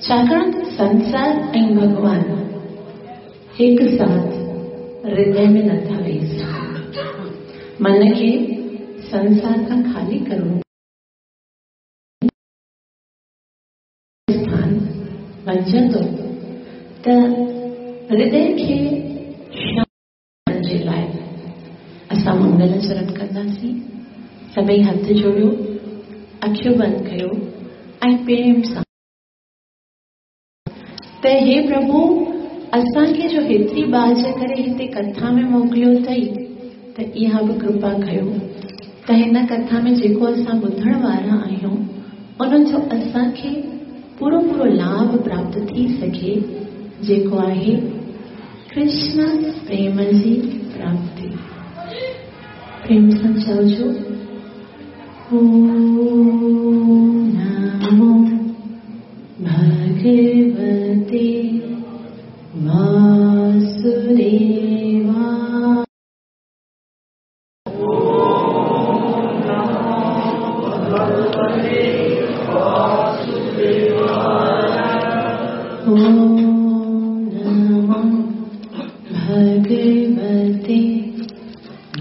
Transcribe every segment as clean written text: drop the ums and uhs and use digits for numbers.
छाकाणि त संसार ऐं भॻवान हिकु साथ हृदय में नथा वेही सघनि। मन खे संसार खां ख़ाली करिणो स्थान बणिजंदो त हृदय खे शांत जे लाइ असां मंगल चरण कंदासीं। सभई हथ जोड़ियो, अखियूं बंदि कयो ऐं प्रेम सां त हे प्रभु, असांखे जो हेतिरी बाज करे हिते कथा में मोकिलियो अथई, त इहा बि कृपा कयो त हिन कथा में जेको असां ॿुधण वारा आहियूं उन्हनि जो असांखे पूरो पूरो लाभ प्राप्त थी सघे, जेको आहे कृष्ण प्रेम जी प्राप्ति। प्रेम सां चओ, ओम नमो भगवते वासुदेवाय। ओम नमो भगवते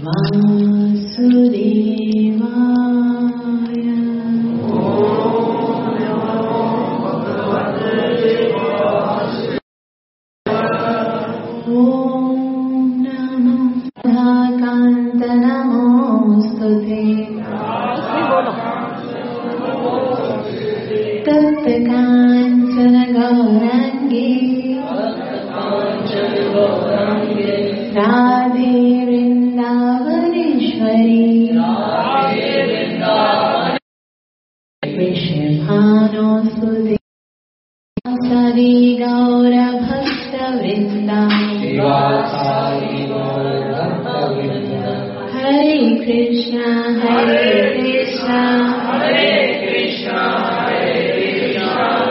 वासुदेवाय। ओम नमो राधाकान्त नमोस्तुते। तप्त काञ्चन गौराङ्गे राधे वृन्दावनेश्वरी वृषभानुसुते हरि गौरभक्तवृन्दा। हरे कृष्ण हरे कृष्ण हरे कृष्ण हरे कृष्ण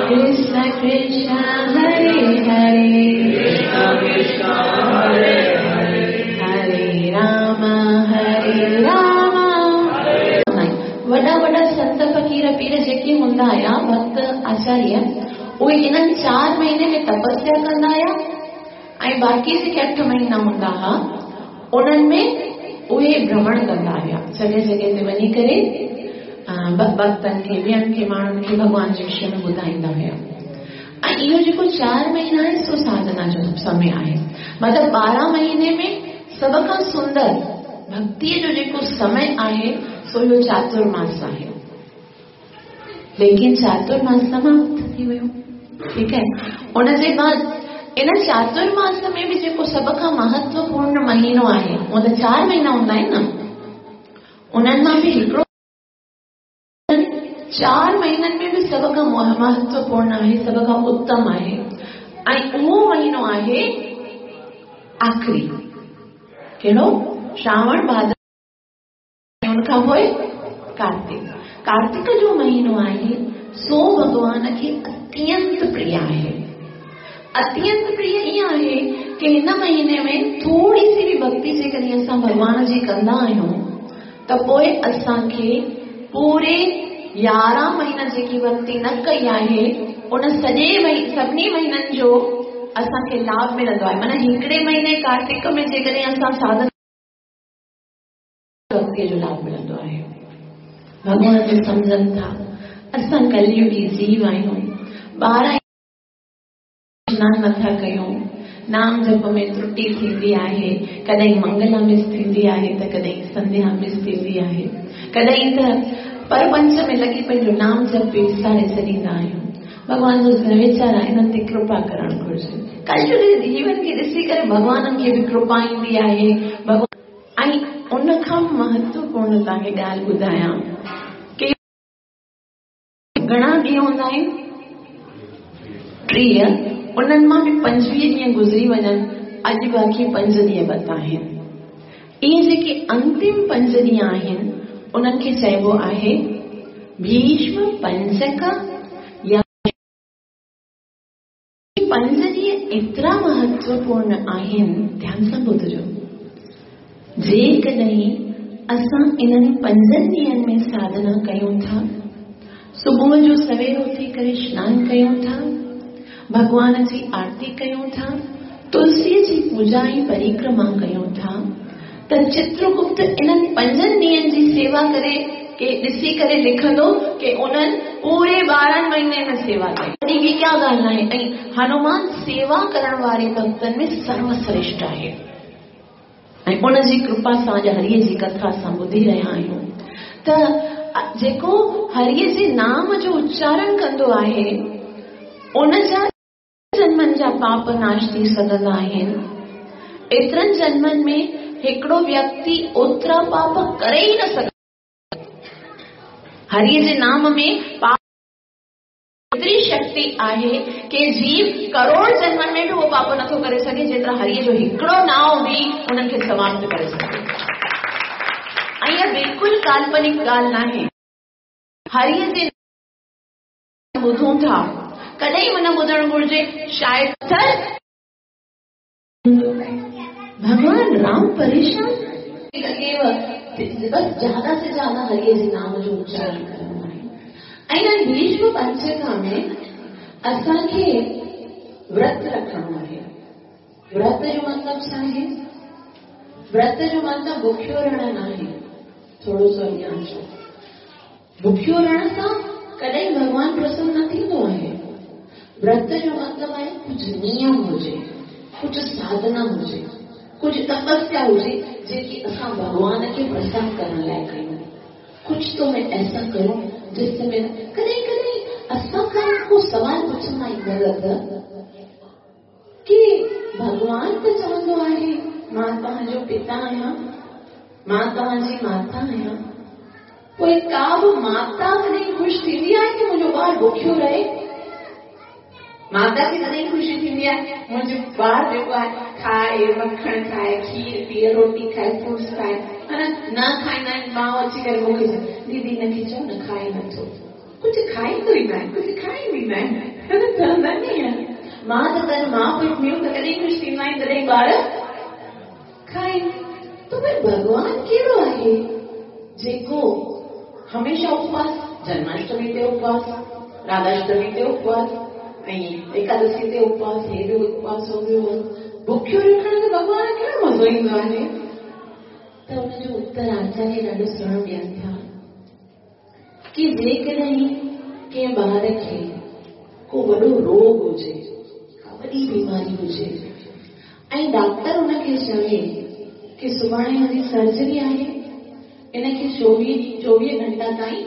कृष्ण कृष्ण हरे हरे कृष्ण कृष्ण हरे हरे हरे राम हरे राम। वॾा वॾा संत फ़क़ीर पीर जेके हूंदा हुआ, भक्त आचार्य, उहे इन्हनि 4 महीने में तपस्या कंदा हुआ ऐं बाक़ी जेके 8 महीना हूंदा हुआ उन्हनि में उहे भ्रमण कंदा हुआ, जॻह जॻह ते वञी करे भक्तनि खे, ॿियनि खे, माण्हुनि खे भॻवान जे विषय में ॿुधाईंदा हुआ। ऐं इहो जेको 4 महीना आहे सो साधना जो समय आहे। मतिलबु 12 महीने में सभ खां सुंदर भक्तीअ जो जेको समय आहे सो इहो चातुर्मास आहे। लेकिन चातुर्मास समाप्त थी वियो, ठीकु आहे। उनजे बाद इन चातुर्मास में बि जेको सभ खां महत्वपूर्ण महीनो आहे, हूअं त 4 महीना हूंदा आहिनि न, उन्हनि मां बि हिकिड़ो 4 महीननि में बि सभ खां महत्वपूर्ण आहे, सभ खां उत्तम आहे ऐं उहो महीनो आहे आख़िरी, कहिड़ो? श्रावण, भाद्र, उन खां पोइ कार्तिक। कार्तिक जो महीनो आहे सो भॻवान खे अत्यंत प्रिय आहे। अत्यंत प्रिय ईअं आहे की हिन महीने में थोरी सी बि भक्ति जेकॾहिं असां भॻवान जी कंदा आहियूं त पोइ असांखे पूरे 11 महीना जेकी भक्ति न कई आहे उन सॼे सभिनी महीननि जो असांखे लाभ मिलंदो आहे। माना हिकिड़े महीने कार्तिक में जेकॾहिं असां साधना भक्तीअ जो लाभ मिलंदो आहे। भॻवान बि सम्झनि था असां कलयुगी जीव आहियूं, 12 स्नान नथा कयूं, नाम जप में त्रुटि थींदी आहे, कॾहिं मंगला मिस थींदी आहे त कॾहिं संध्या मिस थींदी आहे, कॾहिं त परपंच में लॻी पंहिंजो नाम जप बि विसारे छॾींदा आहियूं। भॻवान जो वीचारा इन्हनि ते कृपा करणु घुरिजे। कलयुग जीवन खे ॾिसी करे भॻवाननि खे बि कृपा ईंदी आहे। भॻवान ऐं उन खां महत्वपूर्ण तव्हांखे ॻाल्हि ॿुधायां की घणा ॾींहं हूंदा आहिनि? 30, उन्हनि मां बि 25 ॾींहं गुज़री वञनि, अॼु बाक़ी 5 ॾींहं बता आहिनि। इहे जेके अंतिम 5 ॾींहं आहिनि उन्हनि खे चइबो आहे भीष्म पंचक या 5 ॾींहं एतिरा महत्वपूर्ण आहिनि, ध्यान सां ॿुधजो। जेकॾहिं असां इन्हनि 5 ॾींहंनि में साधना कयूं था, सुबुह जो सवेर उथी करे स्नान कयूं था, भॻवान जी आरती कयूं था, तुलसीअ जी पूजा ऐं परिक्रमा कयूं था, त चित्रगुप्त इन्हनि 5 ॾींहंनि जी सेवा करे के ॾिसी करे लिखंदो कि उन्हनि पूरे 12 महीने में सेवा कई। वॾी ॿी क्या ॻाल्हि आहे। ऐं हनुमान सेवा करण वारे भक्तनि में सर्वश्रेष्ठ आहे ऐं उनजी कृपा सां अॼु हरीअ जी कथा असां ॿुधी रहिया आहियूं। त जेको हरीअ जे नाम जो उच्चारण कंदो आहे उनजा जन्मनि जा पाप नाश थी सघंदा आहिनि। एतिरनि जन्मनि में हिकिड़ो व्यक्ति ओतिरा पाप करे ई न सघे। हरीअ जे नाम में पाप एतिरी शक्ति आहे कि जीव करोड़ जन्मनि में बि उहो पाप नथो करे सघे जेतिरा हरीअ जो हिकिड़ो नाव बि उन्हनि खे समाप्त करे सघे। ऐं इहा बिल्कुलु काल्पनिक ॻाल्हि नाहे। हरीअ जे ॿुधूं था, कॾहिं बि न ॿुधणु घुरिजे। शायदि भॻवान राम परेशान बस ज़्यादा से ज़्यादा हरीअ जे नाम जो उच्चारण करणो आहे। ऐं भीष्म पंचका में असांखे व्रत रखणो आहे। व्रत जो मतिलबु छा आहे? व्रत जो मतिलबु भुखियो रहणु न आहे। थोरो सो अॻियां अचो। भुखियो रहण सां कॾहिं भॻवान प्रसन्न न थींदो आहे। व्रत जो मतिलबु आहे कुझु नियम हुजे, कुझु साधना हुजे, कुझु तपस्या हुजे जेकी असां भॻवान खे प्रसन्न करण लाइ कयूं। कुझु तो मैं ऐसा करूं जिससे मैं कॾहिं कॾहिं असां खां को सवाल पुछंदा आहियूं कि भॻवान त चवंदो आहे मां तव्हांजो पिता आहियां, मां तव्हांजी माता आहियां, पोइ का बि माता कॾहिं ख़ुशि थींदी आहे की मुंहिंजो ॿार भुखियो रहे? माता खे कॾहिं ख़ुशी थींदी आहे मुंहिंजो ॿार जेको आहे खाए, मखण खाए, खीर पीए, रोटी खाए, फ्रूट्स खाए, न खाईंदा आहिनि। माउ अची करे मूंखे चए दीदी हिनखे चओ न खाए नथो, कुझु खाईंदो ई न आहे, कुझु खाईंदी न आहे, चवंदा ईअं। मां त तॾहिं मां पोइ मियूं त कॾहिं ख़ुशि थींदा आहिनि जॾहिं ॿार खाइनि। त भई भॻवान कहिड़ो आहे जेको हमेशा उपवास, जन्माष्टमी ते उपवास, राधाष्टमी ते उपवास ऐं एकादशी ते उपवास, हे बि उपवास हो ॿियो भुखियो रखण ते भॻवान कहिड़ो मज़ो ईंदो आहे? त हुनजो उत्तर आचार्य ॾाढो सुहिणो ॾियनि था की जेकॾहिं कंहिं ॿार खे को वॾो रोग हुजे, का वॾी बीमारी हुजे ऐं डॉक्टर हुनखे चवे की सुभाणे हुनजी सर्जरी आहे, इनखे 24 घंटा ताईं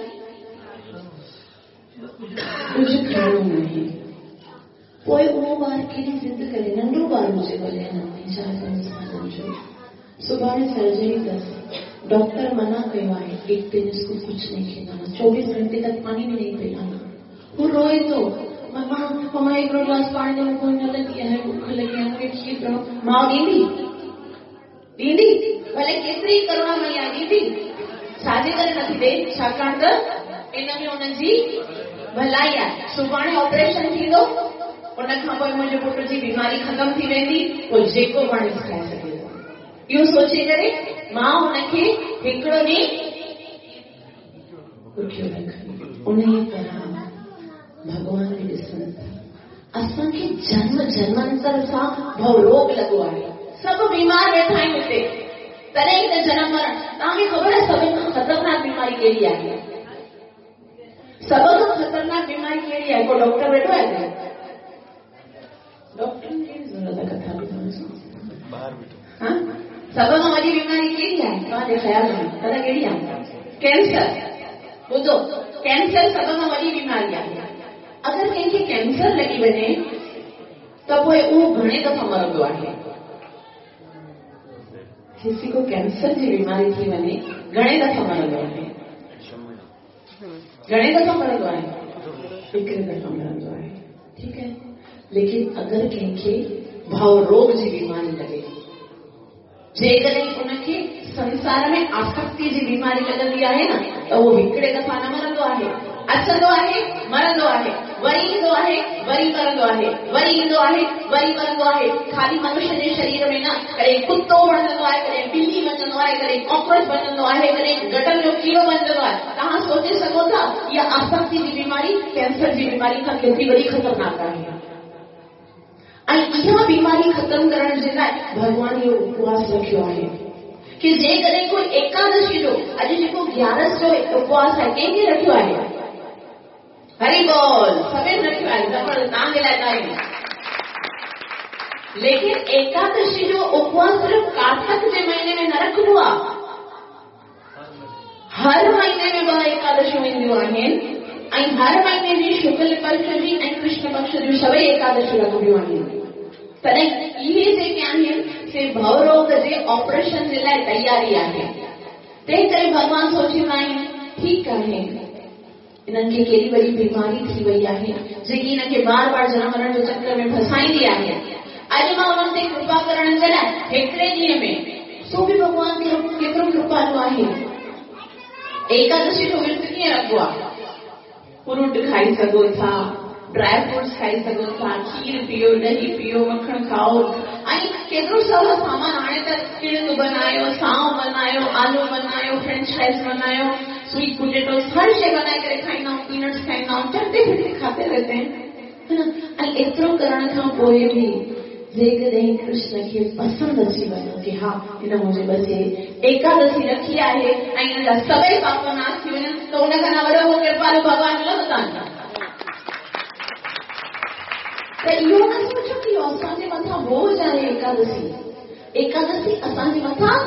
कुझु खाइणो न आहे, पोइ उहो ॿार केॾी ज़िद करे, नंढो ॿार हुजे भले 4-5 सालनि जो, सुभाणे सर्जरी अथसि, डॉक्टर मना कयो आहे एक दिन इसको कुछ नहीं खिलाना, 24 घंटे तक पानी भी नहीं पिलाना। वो रोए तो मम्मा मम्मा एक गिलास पानी दो, कोई न लगी है, भूख लगी है, मूंखे खीर पियो। माउ ॾींदी ॾींदी भले केतिरी करुणामयी आहे, ॾींदी छाजे करे नथी ॾे, छाकाणि त इन में हुनजी भलाई आहे। सुभाणे ऑपरेशन थींदो, उन खां पोइ मुंहिंजे पुट जी बीमारी ख़तमु थी वेंदी, पोइ जेको वणेसि खाए सघे थो। इहो सोचे करे मां हुनखे हिकिड़ो ॾींहुं भुखियो रखंदी। उन ई तरह भॻवान बि ॾिसनि था असांखे जन्म जन्मांतर सां भव रोग लॻो आहे, सभु बीमार वेठा आहिनि हिते, तॾहिं त जनम मरण। तव्हांखे ख़बर आहे सभिनी खां ख़तरनाक बीमारी कहिड़ी आहे? सभ खां ख़तरनाक बीमारी कहिड़ी आहे? को डॉक्टर वेठो आहे? डॉक्टर कहिड़ी ज़रूरत आहे कथा ॿुधण जी? हा, सभ खां वॾी बीमारी कहिड़ी आहे तव्हांजे ख़्याल में? दादा कहिड़ी आहे? कैंसर। ॿुधो, कैंसर सभ खां वॾी बीमारी आहे। अगरि कंहिंखे कैंसर लॻी वञे त पोइ उहो घणे दफ़ा मरंदो आहे। किसी को कैंसर जी बीमारी थी वञे घणे दफ़ा मरंदो आहे? घणे दफ़ा मरंदो आहे? हिकिड़े दफ़ा मरंदो आहे, ठीकु आहे। लेकिन अगरि कंहिंखे भाव रोग जी बीमारी लॻे, जेकॾहिं उनखे संसार में आसक्ति जी बीमारी लॻंदी आहे न, त उहो हिकिड़े दफ़ा न मरंदो आहे, अचंदो आहे, मरंदो आहे, वरी ईंदो आहे, वरी मरंदो आहे, वरी ईंदो आहे, वरी मरंदो आहे। ख़ाली मनुष्य जे शरीर में न, कॾहिं कुतो बणजंदो आहे, कॾहिं बिल्ली बणजंदो आहे, कॾहिं कॉकरोच बणजंदो आहे, कॾहिं गटर जो कीड़ो बणजंदो आहे। तव्हां सोचे सघो था इहा आसक्ति जी बीमारी कैंसर जी बीमारी खां केतिरी वॾी ख़तरनाक आहे। ऐं इहा बीमारी ख़तमु करण जे लाइ भॻवान इहो उपवास रखियो आहे की जेकॾहिं कोई एकादशी जो, अॼु जेको ग्यारस जो उपवास आहे, कंहिंखे रखियो आहे? हरी बोल, सभिनी रखियो आहे, ज़बरदस्त, तव्हांजे लाइ तारीफ़। लेकिन एकादशी जो उपवास सिर्फ़ कार्तिक जे महीने में न रखिबो आहे, हर महीने में ॿ एकादशियूं ईंदियूं आहिनि ऐं हर महीने जी शुक्ल पक्ष जी ऐं कृष्ण पक्ष जूं सभई एकादशियूं रखबियूं आहिनि। तॾहिं इहे जेके आहिनि से भवरोग जे ऑपरेशन जे लाइ तयारी आहे। तंहिं करे भॻवान सोचींदा आहिनि ठीकु आहे, इन्हनि खे केॾी वॾी बीमारी थी वई आहे जेकी इन्हनि खे बार बार जनम मरण जो चक्कर में फसाईंदी आहे। अॼु मां उन्हनि ते कृपा करण जे लाइ हिकिड़े ॾींहं में, सो बि भॻवान केतिरो कृपालु आहे। एकादशी जो विर्त कीअं रखिबो आहे? फ्रूट खाई सघो था, ड्राई फ्रूट्स खाई सघो था, खीर पियो, ॾही पियो, मखण खाओ ऐं केतिरो सवलो सामान। हाणे त किणक बनायो, साओ बनायो, आलू बनायो, फ्रेंच फ्राइज़ बनायो, स्वीट पोटेटोस, हर शइ बनाए करे खाईंदा आहियूं, पीनट्स खाईंदा आहियूं, चलते फिरते खाते रहते हैं, है ना। ऐं एतिरो करण खां पोइ बि जेकॾहिं कृष्ण खे पसंदि अची वञो की हा हिन मुंहिंजे बचे एकादशी रखी आहे ऐं हिन जा सभई पाप नाश थी वञनि, त उन खां न वॾो कृपालु भॻवानु मिलंदो तव्हांखे। त इहो न सोचो की असांजे मथां बोझ आहे एकादशी। एकादशी असांजे मथां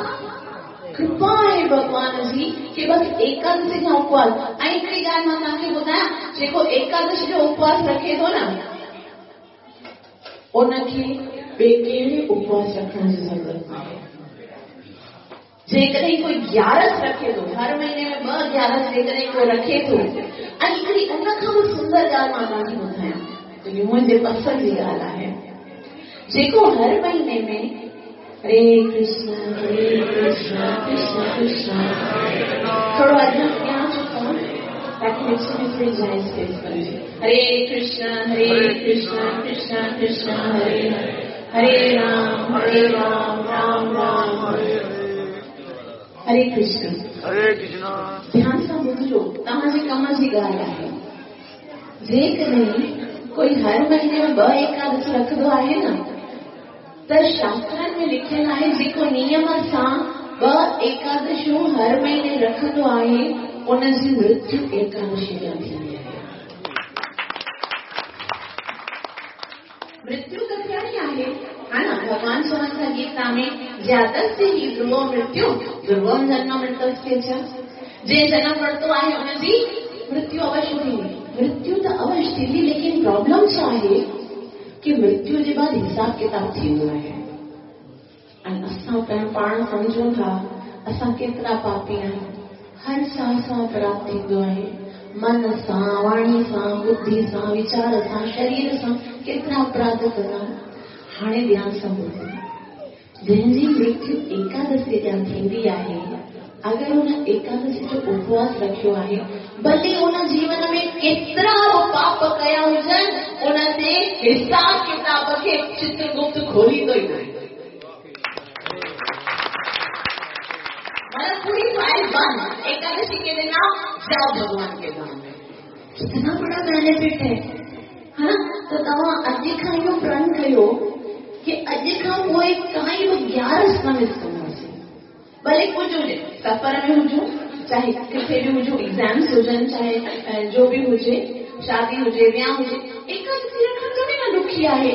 कृपा आहे भॻवान जी की बसि एकादशी खां उपवास। ऐं हिकिड़ी ॻाल्हि मां तव्हांखे ॿुधायां, जेको एकादशी जो उपवास रखे थो न, उनखे ॿिए कहिड़े उपवास रखण जी ज़रूरत न आहे। जेकॾहिं कोई ग्यारस रखे थो, हर महीने में ॿ ग्यारस जेकॾहिं कोई रखे थो, ऐं हिकिड़ी उन खां बि सुंदर ॻाल्हि मां तव्हांखे ॿुधायां, जेकी मुंहिंजे पसंदि जी ॻाल्हि आहे, जेको हर महीने में हरे कृष्ण कृष्ण कृष्ण, थोरो अॻियां अॻियां अचो ताकि विच में थोरी जाइ स्पेस बणिजे। हरे कृष्ण कृष्ण कृष्ण हरे हरे, राम राम राम हरे हरे कृष्ण हरे कृष्ण। ध्यान सां ॿुधजो, तव्हांजे कम जी ॻाल्हि आहे। जेकॾहिं कोई हर महीने में ॿ एकादशी रखंदो आहे न, त शास्त्रनि में लिखियलु आहे जेको नियम सां ॿ एकादशियूं हर महीने रखंदो आहे, उनजी मृत्यु एकादशी ॾांहुं थींदी आहे। मृत्यु त थियणी आहे, हा न। भॻवान चवनि था गीता में, जातस्य ही ध्रुवो मृत्यु ध्रुवम जन्म मृतस्य च। जंहिं जनम वरितो आहे उनजी मृत्यु अवश्य थींदी। मृत्यु त अवश्य थींदी, लेकिन प्रॉब्लम छा आहे की मृत्यु जे बाद हिसाब किताब थींदो आहे। ऐं असां पाण सम्झूं था असां केतिरा पापी आहियूं। हर साह सां अपराध थींदो आहे, मन सां, वाणी सां, बुद्धि सां, वीचार सां, शरीर सां केतिरा अपराध कंदा आहियूं। हाणे ध्यान सां ॿुधो, जंहिंजी मृत्यु एकादशी ॾांहुं थींदी आहे, अगरि हुन एकादशी जो उपवास रखियो आहे, भले उन जीवन में केतिरा बि पाप कया हुजनि, उन ते हिसाब किताब खे चित्रगुप्त खोलींदो ई न आहे। मतलब पूरी फाइल बंद, एकादशी के दिन आओ, जाओ भगवान के धाम में। कितना बड़ा बेनिफिट है, है ना। त तव्हां अॼु खां इहो प्रण कयो की अॼु खां पोइ काई बि ग्यारस न मिस कंदासीं, भले कुझु हुजे, सफ़र में हुजूं, चाहे किथे बि हुजूं, एग्ज़ाम्स हुजनि, चाहे जो बि हुजे, शादी हुजे, वियांव हुजे, एकादशी रखणु थोरी न ॾुखी आहे।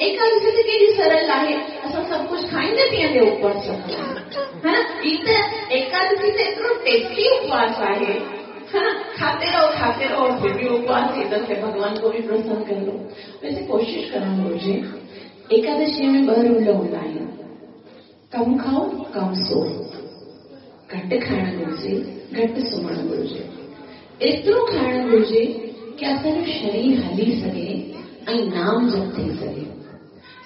एकादशी त केॾी सरल आहे, असां सभु कुझु खाईंदे पीअंदे उपवास रखंदा आहियूं, है ना। हीअ त एकादशी त एतिरो टेस्टी उपवास आहे, है ना। खाते रहो और फिर भी उपवास, इधर से भगवान को भी प्रसन्न कर लो। वैसे कोशिश करणु घुरिजे, एकादशी में ॿ रूल हूंदा आहिनि, कमु खाओ कमु सो, घटि खाइणु घुरिजे, घटि सुम्हणु घुरिजे, एतिरो खाइणु घुरिजे की असांजो शरीर हली सघे ऐं नाम जप थी सघे।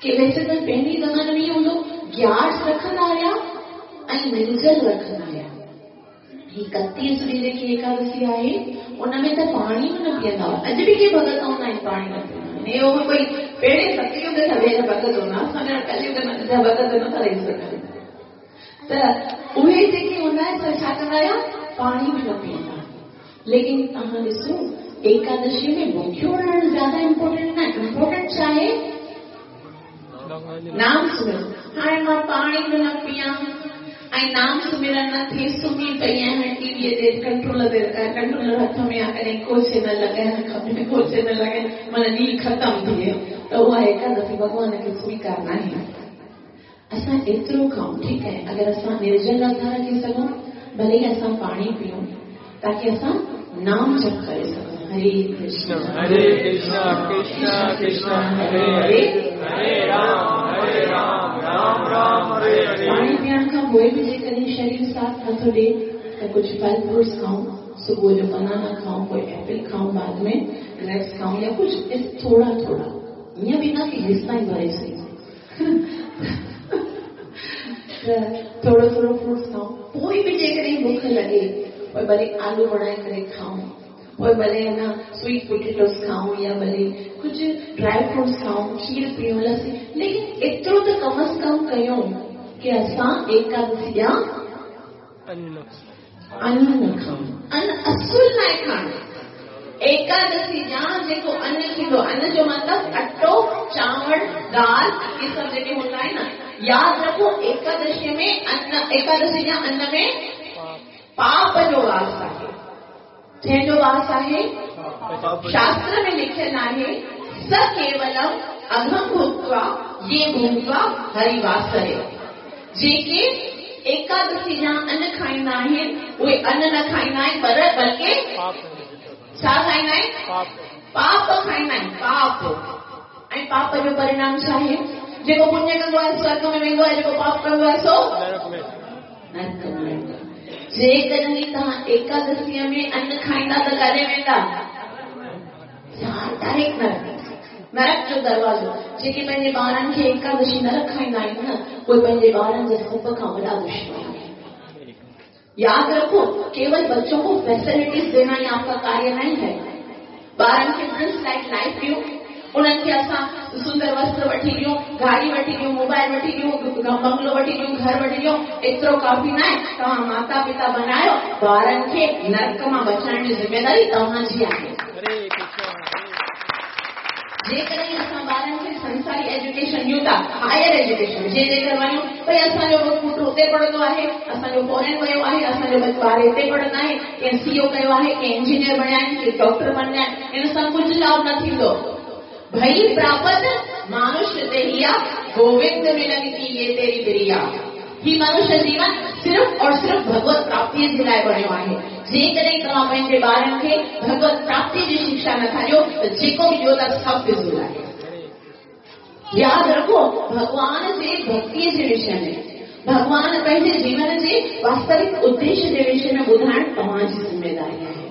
की वैसे त पहिरीं ज़माने में ईअं हूंदो, ग्यारस रखंदा हुया ऐं निर्जल रखंदा हुया। हीअ कतीसरी जेकी एकादशी आहे उन में त पाणी बि न पीअंदा हुआ। अॼु बि के भॻत हूंदा आहिनि पाणी न पीअंदा आहिनि। इहो बि कोई पहिरें सतयुग जा वेर भॻत हूंदा, असांजा कलयुग जा भॻत नथा रही सघनि। त उहे जेके हूंदा आहिनि सो छा कंदा हुया, पाणी बि न पीअंदा। लेकिन तव्हां ॾिसो, एकादशी में भुखियो रहणु ज़्यादा इम्पोर्टेंट न, इम्पोर्टेंट छा आहे, नाम सुमिरन। हाणे मां पाणी बि न पीआं ऐं नाम सुमिरन न थिए, सुम्ही पई आहियां टीवीअ ते कंट्रोल ते, कंट्रोलर हथ में आहे, कॾहिं को चैनल लॻाइण खपे, को चैनल लॻाइण, माना ॾींहुं ख़तमु थी वियो। त उहा एकादशी भॻवान खे स्वीकार न आहे। असां एतिरो खाऊं, ठीकु आहे, अगरि असां निर्जल नथा रखी सघूं, भले ई असां पाणी पीऊं, ताकी असां नाम जप करे सघूं। हरे कृष्ण हरे कृष्ण कृष्ण कृष्ण हरे हरे, हरे राम हरे राम राम राम हरे हरे। पाणी पीअण खां पोइ बि जेकॾहिं शरीर साथ नथो ॾिए त कुझु फल फ्रूट्स खाऊं, सुबुह जो बनाना खाऊं, पोइ एप्पल खाऊं, बाद में ग्रेप्स खाऊं या कुझु थोरा थोरा, ईअं बि न की हेसि ताईं भरे सघूं, त थोरो थोरो फ्रूट्स खाऊं। पोइ बि जेकॾहिं बुख लॻे, पोइ भले आलू बणाए करे खाऊं, पोइ भले न स्वीट पोटेटोस खाऊं या भले कुझु ड्राई फ्रूट्स खाऊं, खीर पीऊं, लस्सी, लेकिन एतिरो त कम अज़ कम कयूं की असां एकादशी जा अन्न न खाऊं, अन्न असुल न आहे खाइणो। एकादशी जा जेको अन्न थींदो, अन्न जो मतिलबु अटो, चांवर, दाल, इहे सभु जेके हूंदा आहिनि न, यादि रखो एकादशी में अन्न, एकादशी जा अन्न में पाप जो वास आहे। जंहिंजो वास आहे? शास्त्र में लिखियलु आहे, स केवलम अघम भुक्त्वा ये भुक्त्वा हरिवासरे। जेके एकादशी जा अन्न खाईंदा आहिनि उहे अन्न न खाईंदा आहिनि, पर बल्कि छा खाईंदा आहिनि? पाप खाईंदा आहिनि, पाप। ऐं पाप जो परिणाम छा आहे? जेको पुण्य कंदो आहे स्वर्ग में वेंदो आहे, जेको पाप कंदो आहे सो नरक में वेंदो आहे। जेकॾहिं तव्हां एकादशीअ में अन्न खाईंदा त काॾे वेंदा? डायरेक्ट नरक, नरक जो दरवाज़ो। जेके पंहिंजे ॿारनि खे एकादशी न रखाईंदा आहिनि न, उहे पंहिंजे ॿारनि जा सभ खां वॾा दुश्मन आहिनि। यादि रखो, केवल बच्चों को फैसिलिटीज देना ही आपका कार्य नहीं है। ॿारनि खे प्रिंस लाइक लाइफ ॾियूं, उन्हनि खे असां सुंदर वस्त्र वठी ॾियूं, गाड़ी वठी ॾियूं, मोबाइल वठी ॾियूं, बंगलो वठी ॾियूं, घर वठी ॾियूं, एतिरो काफ़ी न आहे। तव्हां माता पिता बनायो, ॿारनि खे नरक मां बचाइण जी ज़िम्मेदारी तव्हांजी आहे। जेकॾहिं असां ॿारनि खे संसारी एजुकेशन ॾियूं था, हायर एजुकेशन, जे जेकर वञूं, भई असांजो पुटु हुते पढ़ंदो आहे, असांजो फॉरेन वियो आहे, असांजो ॿार हिते पढ़ंदा आहिनि, कंहिं सीओ कयो आहे, कंहिं इंजीनियर बणिया आहिनि, कंहिं डॉक्टर बणिया आहिनि, इन सां कुझु लाभ न थींदो। भई प्राप्त मानुष्य देहिया, गोविंद मिलन की ये तेरी प्रिया। ही मनुष्य जीवन सिर्फ और सिर्फ भगवत प्राप्ति जे लाइ बणियो आहे। जेकॾहिं तव्हां पंहिंजे ॿारनि खे भगवत प्राप्ति जी शिक्षा नथा ॾियो त जेको बि ॾियो था सभु फिज़ूल आहे। यादि रखो, भॻवान जे भक्तीअ जे विषय में, भॻवान पंहिंजे जीवन जे वास्तविक उद्देश्य जे विषय में ॿुधाइण तव्हांजी ज़िम्मेदारी आहे।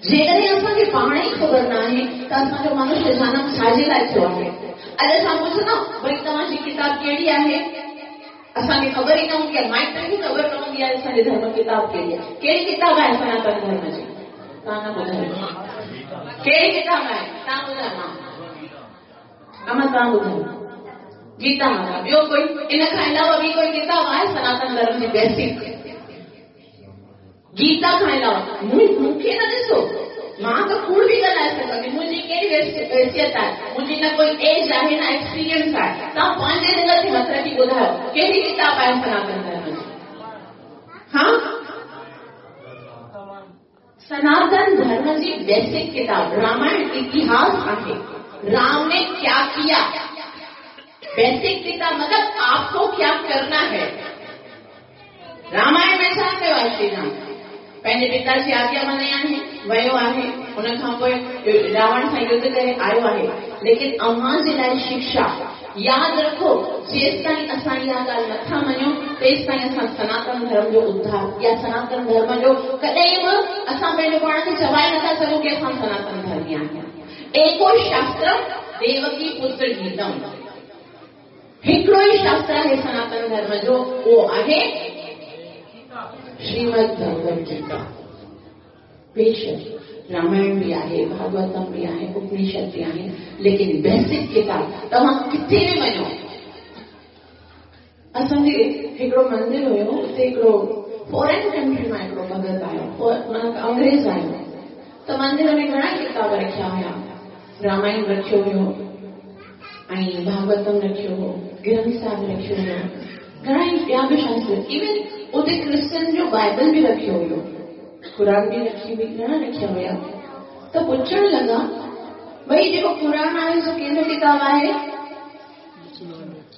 जेकॾहिं असांखे पाण ई ख़बर न आहे त असांजो मनुष्य जनम छाजे लाइ थियो आहे। अॼु असां पुछंदा भई तव्हांजी किताब कहिड़ी आहे, असांखे ख़बर ई न हूंदी आहे, माइटनि खे ख़बर न हूंदी आहे असांजे धर्म किताब कहिड़ी आहे। कहिड़ी किताब आहे सनातन धर्म जी? तव्हां न ॿुधायो कहिड़ी किताब आहे, तव्हां ॿुधायो। अमा तव्हां ॿुधायो। गीता माता, ॿियो कोई इन खां अलावा ॿी कोई किताब आहे सनातन धर्म जी बेसिक? गीता खां अलावा मूंखे न ॾिसो, मां त कूड़ बि ॻाल्हाए सघां थी, मुंहिंजी कहिड़ी हैसियत आहे, मुंहिंजी न कोई एज आहे न एक्सपीरियंस आहे। तव्हां पंहिंजे दिल ते हथु रखी ॿुधायो कहिड़ी किताब आहे सनातन धर्म जी? हा, सनातन धर्म जी बेसिक किताब रामायण इतिहास आहे। राम ने क्या किया, बेसिक किताब मतलब आपको क्या करना है। रामायण में छा कयो आहे? श्री राम पंहिंजे पिता जी आज्ञा मञी आहे, वियो आहे, उन खां पोइ रावण सां युद्ध करे आयो आहे। लेकिन अव्हां जे लाइ शिक्षा यादि रखो, जेसि ताईं असां इहा ॻाल्हि नथा मञूं तेसि ताईं असां सनातन धर्म जो उद्धार या सनातन धर्म जो कॾहिं बि असां पंहिंजो पाण खे चवाए नथा सघूं की असां सनातन धर्मी आहियूं। एको शास्त्र देवकी पुत्र गीतम, हिकिड़ो ई शास्त्र आहे सनातन धर्म जो, उहो आहे श्रीमद् भगवद गीता। बेशक रामायण बि आहे, भागवतम बि आहे, उपनिषद बि आहे, लेकिन बेसिक किताब तव्हां किथे बि वञो। असांजे हिकिड़ो मंदिर हुयो, उते हिकिड़ो फॉरेन कंट्री मां हिकिड़ो भगत आयो, माना अंग्रेज़ आयो, त मंदिर में घणा किताब रखिया हुया, रामायण रखियो हुयो ऐं भागवतम रखियो हो, ग्रंथ साहिब रखियो हुयो, घणा ई ॿिया बि शास्त्र, इवन उते क्रिश्चन जो बाइबल बि रखियो हुयो, क़ुर बि रखी हुई, घणा रखिया हुया। त पुछण लॻा, भई जेको क़ुर आहे सो कंहिंजो किताब आहे?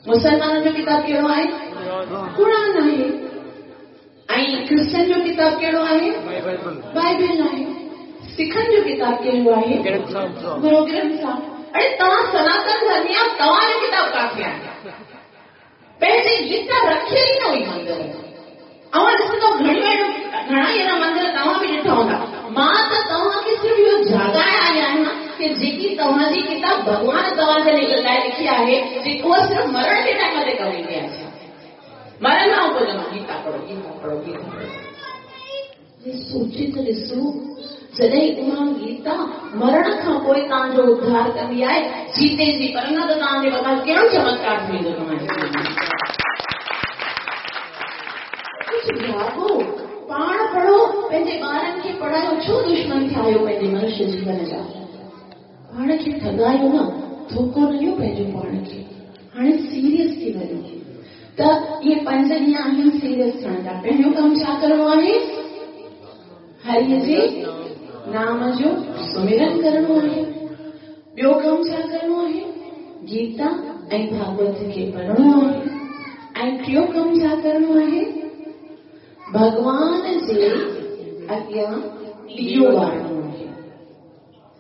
मुसलमाननि जो किताब कहिड़ो आहे? क़ुर आहे। ऐं क्रिश्चन जो किताब कहिड़ो आहे? बाइबल आहे। सिखनि जो किताब कहिड़ो आहे? गुरु ग्रंथ साहिब। अरे तव्हां सनातन धर्मी आहियो, तव्हांजो किताब काथे आहे? पंहिंजी गीता रखियल ई न हुई मंदिर में। ऐं ॾिसंदो घणा ई अहिड़ा मंदिर तव्हां बि ॾिठा हूंदा। मां त तव्हांखे सिर्फ़ु इहो जाॻाए आई आहियां की जेकी तव्हांजी किताब भॻवान तव्हांजे लाइ लिखी आहे, उहा सिर्फ़ु मरण जे टाइम ते कम ईंदी आहे। मरण खां पोइ चवंदो गीता पढ़ो, गीता पढ़ो, गीता पढ़ो। सोचे त ॾिसो, जॾहिं उहा गीता मरण खां पोइ तव्हांजो उद्धार कंदी आहे, जीते जी, पर न त तव्हांजे मथां कहिड़ो चमत्कार थी वेंदो तव्हांजे। कुझु जागो, पाण पढ़ो, पंहिंजे ॿारनि खे पढ़ायो। छो दुश्मन थिया आहियो पंहिंजे मनुष्य जीवन जा? पाण खे ठॻायो न, धोखो न ॾियो पंहिंजो पाण खे। हाणे सीरियस थी वञो। त इहे पंज ॾींहं आहिनि सीरियस थियण जा। पहिरियों कमु छा करिणो आहे? हरीअ जे नाम जो सुमिरन करिणो आहे। ॿियो कमु छा करिणो आहे? गीता ऐं भागवत खे पढ़णो आहे। ऐं टियों कमु छा करिणो आहे? भॻवान जे अॻियां ॾियो ॿारणो आहे।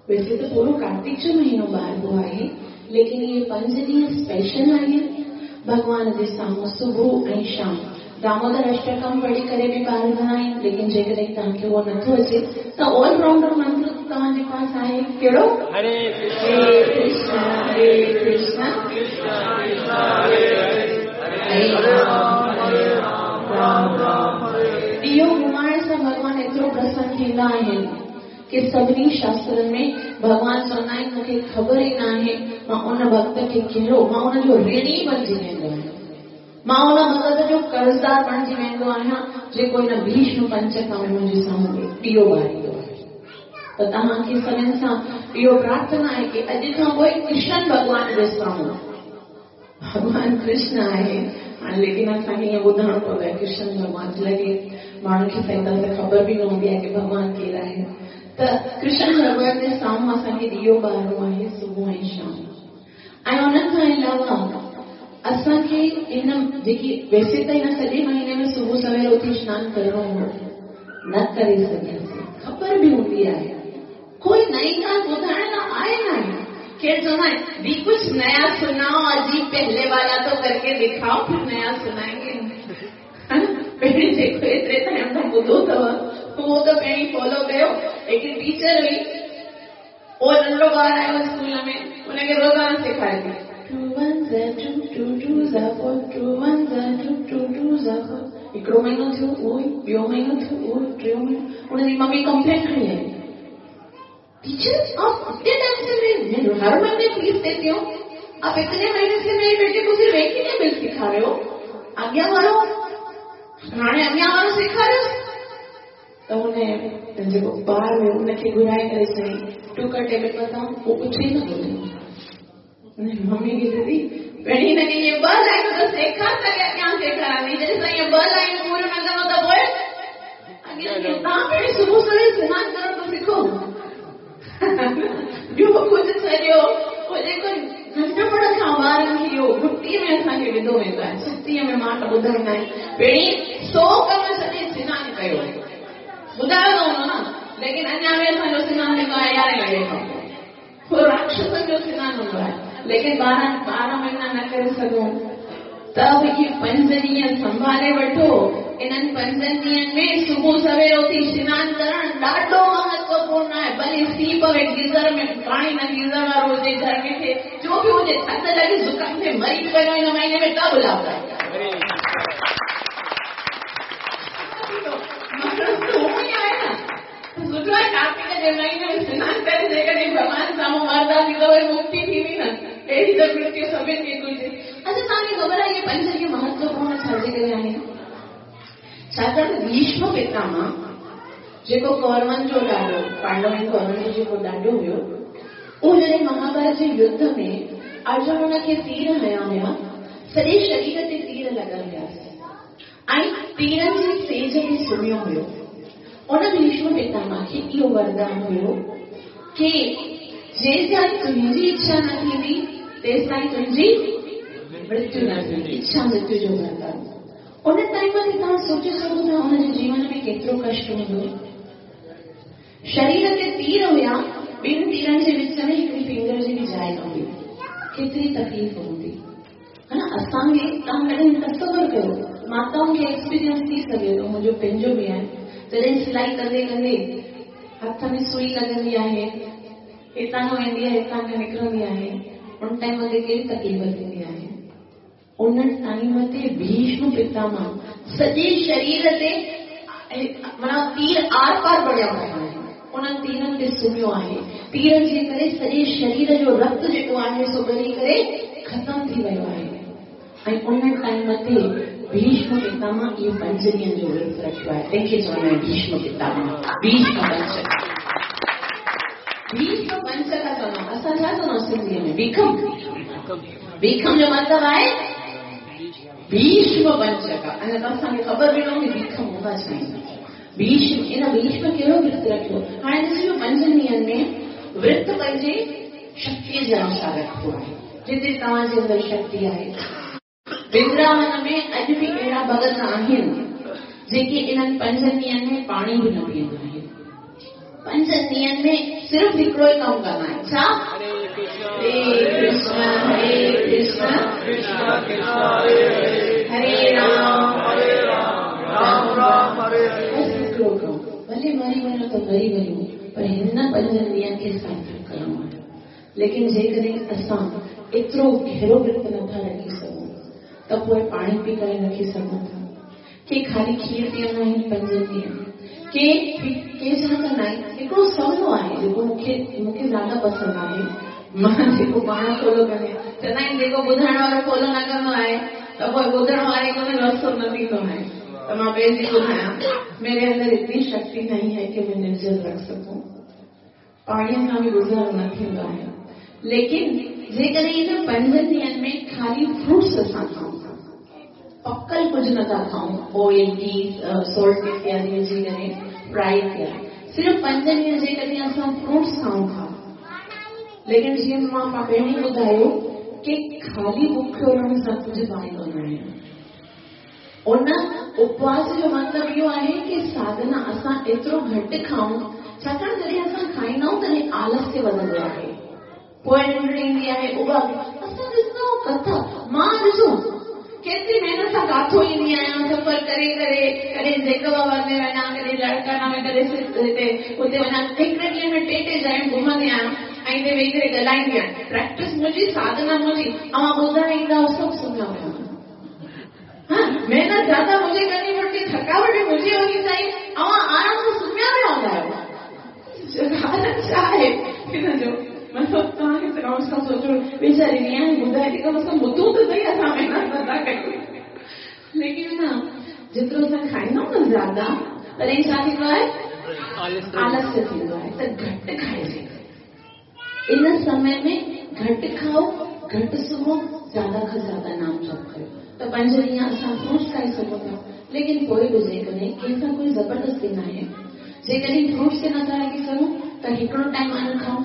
वैसे त पूरो कार्तिक जो महीनो ॿारबो आहे, लेकिन इहे पंज ॾींहं स्पेशल आहिनि। भॻवान जे साम्हूं सुबुह ऐं शाम दामोदर अष्टकम पढ़ी करे बि ॿारंदा आहिनि, लेकिन जेकॾहिं तव्हांखे उहो नथो अचे त ऑलराउंडर मंत्र तव्हांजे पास आहे। कहिड़ो? हरे कृष्ण हरे कृष्ण कृष्ण कृष्ण हरे हरे, हरे राम हरे राम राम राम हरे। इहो घुमाइण सां भॻवान एतिरो प्रसन्न थींदा आहिनि की सभिनी शास्त्रनि में भॻवान चवंदा आहिनि मूंखे ख़बर ई न आहे मां उन भक्त खे कहिड़ो, मां उनजो ऋणी बणिजी वेंदो आहियां, मां उन भगत जो कर्ज़दार बणिजी वेंदो आहियां जेको हिन भीष्म पंचक में मुंहिंजे साम्हूं ॾियो ॿारींदो आहे। त तव्हांखे सभिनी सां इहो प्रार्थना आहे की अॼु खां पोइ कृष्ण भॻवान जे साम्हूं, भॻवान कृष्ण आहे हाणे, लेकिन असांखे ईअं ॿुधाइणो पवंदो आहे कृष्ण भॻवान लॻे माण्हुनि खे सही तरह सां ख़बर बि न हूंदी आहे की भॻवान केरु आहे। त कृष्ण भॻवान जे साम्हूं असांखे ॾियो ॿारणो आहे सुबुह ऐं शाम। ऐं उन खां अलावा असांखे हिन जेकी वैसे त हिन सॼे महीने में सुबुह सवेर उथी सनानु करिणो हो, न करे सघियासीं, ख़बर बि हूंदी आहे, कोई नई ॻाल्हि ॿुधाइण लाइ आहे न आहे। केरु चवंदा आहिनि दी कुझु नया सुनाओ, अजीब पहले वाला तो करके दिखाओ फिर नया सुनाएंगे। पहिरीं जेको एतिरे टाइम खां ॿुधो अथव उहो त पहिरीं फॉलो कयो। हिकिड़ी टीचर हुई, उहो नंढो ॿार आयो स्कूल में, उनखे रोज़ानो सेखारे थी 2 1 2 2 2 4 2 1 2 2 2 4। हिकिड़ो महीनो थियो उहो ई, ॿियो महीनो थियो उहो, टियों महीनो। उनजी मम्मी कंप्लेन खणी आई, टीचर आप इतने टाइम से मैं हर महीने फीस देती हूँ, आप इतने महीने से मेरे बेटे को सिर्फ एक ही टेबल सिखा रहे हो, अॻियां वारो हाणे अॻियां वारो सेखारियोसि। त हुन जेको ॿार हुयो उनखे घुराए करे चयईं टू का टेबल बताओ, उहो कुझु ई न ॿुधो। मम्मी खे चए थी पहिरीं हिनखे ईअं ॿ लाइनूं त सेखार त अॻियां सेखारांदी, जॾहिं सां ईअं ॿ लाइनूं पूरियूं न कंदो त पोइ अॻियां तव्हां पहिरीं सुबुह सवेर सनानु करणु त सिखो, ॿियो कुझु छॾियो। पोइ जेको नंढपण खां ॿारनि खे इहो घुटीअ में असांखे विधो वेंदो आहे, सुस्तीअ में मां त ॿुधाईंदा आहिनि पहिरीं 100 कम छॾे सनानु कयो, ॿुधायो न हूंदो न, लेकिन अञा बि असांजो सनानु जेको आहे 11 लॻे खां पोइ राक्षसनि जो सनानु हूंदो आहे, लेकिन 12 महीना न करे सघूं त बि इहे 5 ॾींहं संभाले वठो। इन्हनि 5 ॾींहनि में सुबुह सवेर उथी सनानु करणु ॾाढो महत्वपूर्ण आहे। भले सीउ पवे, गीज़र में पाणी न गीज़र वारो हुजे, गर्मी थिए, जो बि हुजे, थधि लॻे, ज़ुकाम थिए, मरी बि वञो हिन महीने में त बि लाभदायक आहे। आहे न, सुठो आहे कार्तिक जे महीने में सनानु करे जेकॾहिं भॻवान साम्हूं मरंदासीं त वरी मुक्ति थींदी न, अहिड़ी त मृत्यु सभिनी खे घुरिजे। अच्छा तव्हांखे ख़बर आहे इहे पंज ॾींहं महत्वपूर्ण छाजे करे आहिनि? छाकाणि त भीष्म पितामह जेको कौरवनि जो ॾाॾो, पांडव ऐं कौरवनि जो जेको ॾाॾो हुयो, उहो जॾहिं महाभारत जे युद्ध में अर्जुन हुनखे तीर हया हुया, सॼे शरीर ते तीर लॻल हुयासि ऐं तीरनि जी सेज ते सुम्हियो हुयो। उन भीष्म पितामह खे इहो वरदान हुयो की जेसिताईं तुंहिंजी इच्छा न थींदी तेसिताईं तुंहिंजी मृत्यु न थींदी। इच्छा मृत्यु जो वरदान। उन टाइम ते तव्हां सोचे सघो था हुनजे जीवन में केतिरो कष्ट हूंदो। शरीर ते तीर हुया, ॿिनि तीरनि जे विच में हिकिड़ी फिंगर जी बि जाइ न हुई। केतिरी तकलीफ़ हूंदी है न असांखे। तव्हां कॾहिं तसवुर कयो, माताउनि खे एक्सपीरियंस थी सघे थो, मुंहिंजो पंहिंजो बि आहे। जॾहिं सिलाई कंदे कंदे हथ में सुई लॻंदी आहे, हितां खां वेंदी आहे हितां खां निकिरंदी आहे, उन टाइम ते कहिड़ी तकलीफ़ थींदी आहे। उन टाइम ते भीष्म पितामह सॼे शरीर ते माना तीर are पार बणिया पिया आहिनि, उन्हनि तीरनि ते सुम्हियो आहे। तीरनि जे करे सॼे शरीर जो रक्त जेको आहे सो ॻरी करे ख़तमु थी वियो आहे। ऐं उन टाइम ते भीष्म पितामह इहो पंज ॾींहनि जो व्रत रखियो आहे। तंहिंखे चवंदा आहिनि भीष्म पितामह, भीष्म पंचक। भीष्म पंचक चवंदा आहिनि। असां छा चवंदा आहियूं सिंधीअ में? भीखम। भीखम जो मतिलबु आहे भीष्म पंचक। अञा त असांखे ख़बर बि न हूंदी भीखम हूंदा छा आहिनि। भीष्म, इन भीष्म कहिड़ो व्रत रखियो? हाणे ॾिसो, पंजनि ॾींहनि में व्रत पंहिंजे शक्तीअ जे अनुसार रखिबो आहे, जिते तव्हांजे अंदरि शक्ति आहे। वृंदावन में अॼु बि अहिड़ा भगत आहिनि जेके इन्हनि पंजनि ॾींहनि में पाणी बि न पीअंदा आहिनि। पंजनि ॾींहनि में सिर्फ़ु हिकिड़ो ई कमु कंदा आहिनि। छा? हरे कृष्ण हरे कृष्ण कृष्ण कृष्ण हरे हरे, हरे राम हरे राम राम राम हरे हरे। बसि हिकिड़ो कमु, भले मरी वञो त मरी वञो, पर हिन पंजनि ॾींहनि खे सार्थक करिणो आहे। लेकिन जेकॾहिं असां एतिरो गहिरो व्रत नथा रखी सघूं त पोइ पाणी पी करे रखी सघूं था। के ख़ाली खीर पीअंदा आहिनि पंजनि ॾींहं, के के छा कंदा आहिनि। हिकिड़ो सवलो आहे जेको मूंखे ज़्यादा पसंदि आहे, मां जेको पाण फॉलो कंदी आहियाँ। चवंदा आहिनि जेको ॿुधाइण वारो फॉलो न कंदो आहे त पोइ ॿुधण वारे को रस्तो न थींदो आहे। त मां पंहिंजी ॿुधायां, मेरे अंदर इतनी शक्ति नहीं है कि मैं निर्जल रख सकूं, पाणीअ सां बि गुज़ारो न थींदो आहे। लेकिन जेकॾहिं इन पंजनि ॾींहनि में ख़ाली फ्रूट्स असां खाऊं था, पकल कुझु नथा खाऊं, ऑयल घी सॉल्ट इत्यादि विझी करे फ्राई थिया, सिर्फ़ु पंजनि ॾींहं जेकॾहिं असां फ्रूट्स खाऊं था। लेकिन जीअं मां पहिरीं ॿुधायो की ख़ाली बुखियो रहण सां कुझु फ़ाइदो न आहे। उन उपवास जो मतिलबु इहो आहे की साधना असां एतिरो घटि खाऊं, छाकाणि जॾहिं असां खाईंदा आहियूं तॾहिं आलस्य वधंदो आहे, पोइ निंड ईंदी आहे, उहा असां ॾिसंदा आहियूं कथा। मां ॾिसो केतिरी महिनत सां काथो ईंदी आहियाँ, सफ़र करे करे कॾहिं जैकबाबाद में वञा, कॾहिं लड़काना में, कॾहिं हिते हुते वञा, हिकिड़े ॾींहं में टे टे जायुनि घुमंदी आहियाँ ऐं हिते वेही करे ॻाल्हाईंदी आहियाँ। प्रैक्टिस मुंहिंजी, साधना मुंहिंजी, अवां ॿुधण ईंदा सभु सुम्हिया हुया। हाँ, मेहनत ज़्यादा मुझे करनी पड़ती, थकावट भी मुझे होनी चाहिए। अवां आराम सां सुम्हिया पिया हूंदा आहियो। कारण छा आहे हिन जो? मतिलबु तव्हांखे त कम से कम सोचो, वीचारी ईअं ॿुधाए थी, कम से कम ॿुधूं त सही, असां महिनत नथा कयूं। लेकिन न जेतिरो असां खाईंदा आहियूं न ज़्यादा, तॾहिं छा थींदो आहे? आलस्य थींदो आहे। त घटि खाइजे इन समय में, घटि खाओ, घटि सुम्हो, ज़्यादा खां ज़्यादा नाम जप कयो। त पंज ॾींहं असां फ्रूट्स खाई सघूं था, लेकिन पोइ बि जेकॾहिं कंहिंसां कोई ज़बरदस्ती न आहे, जेकॾहिं फ्रूट्स ते नथा रखी सघूं त हिकिड़ो टाइम अन खाऊं,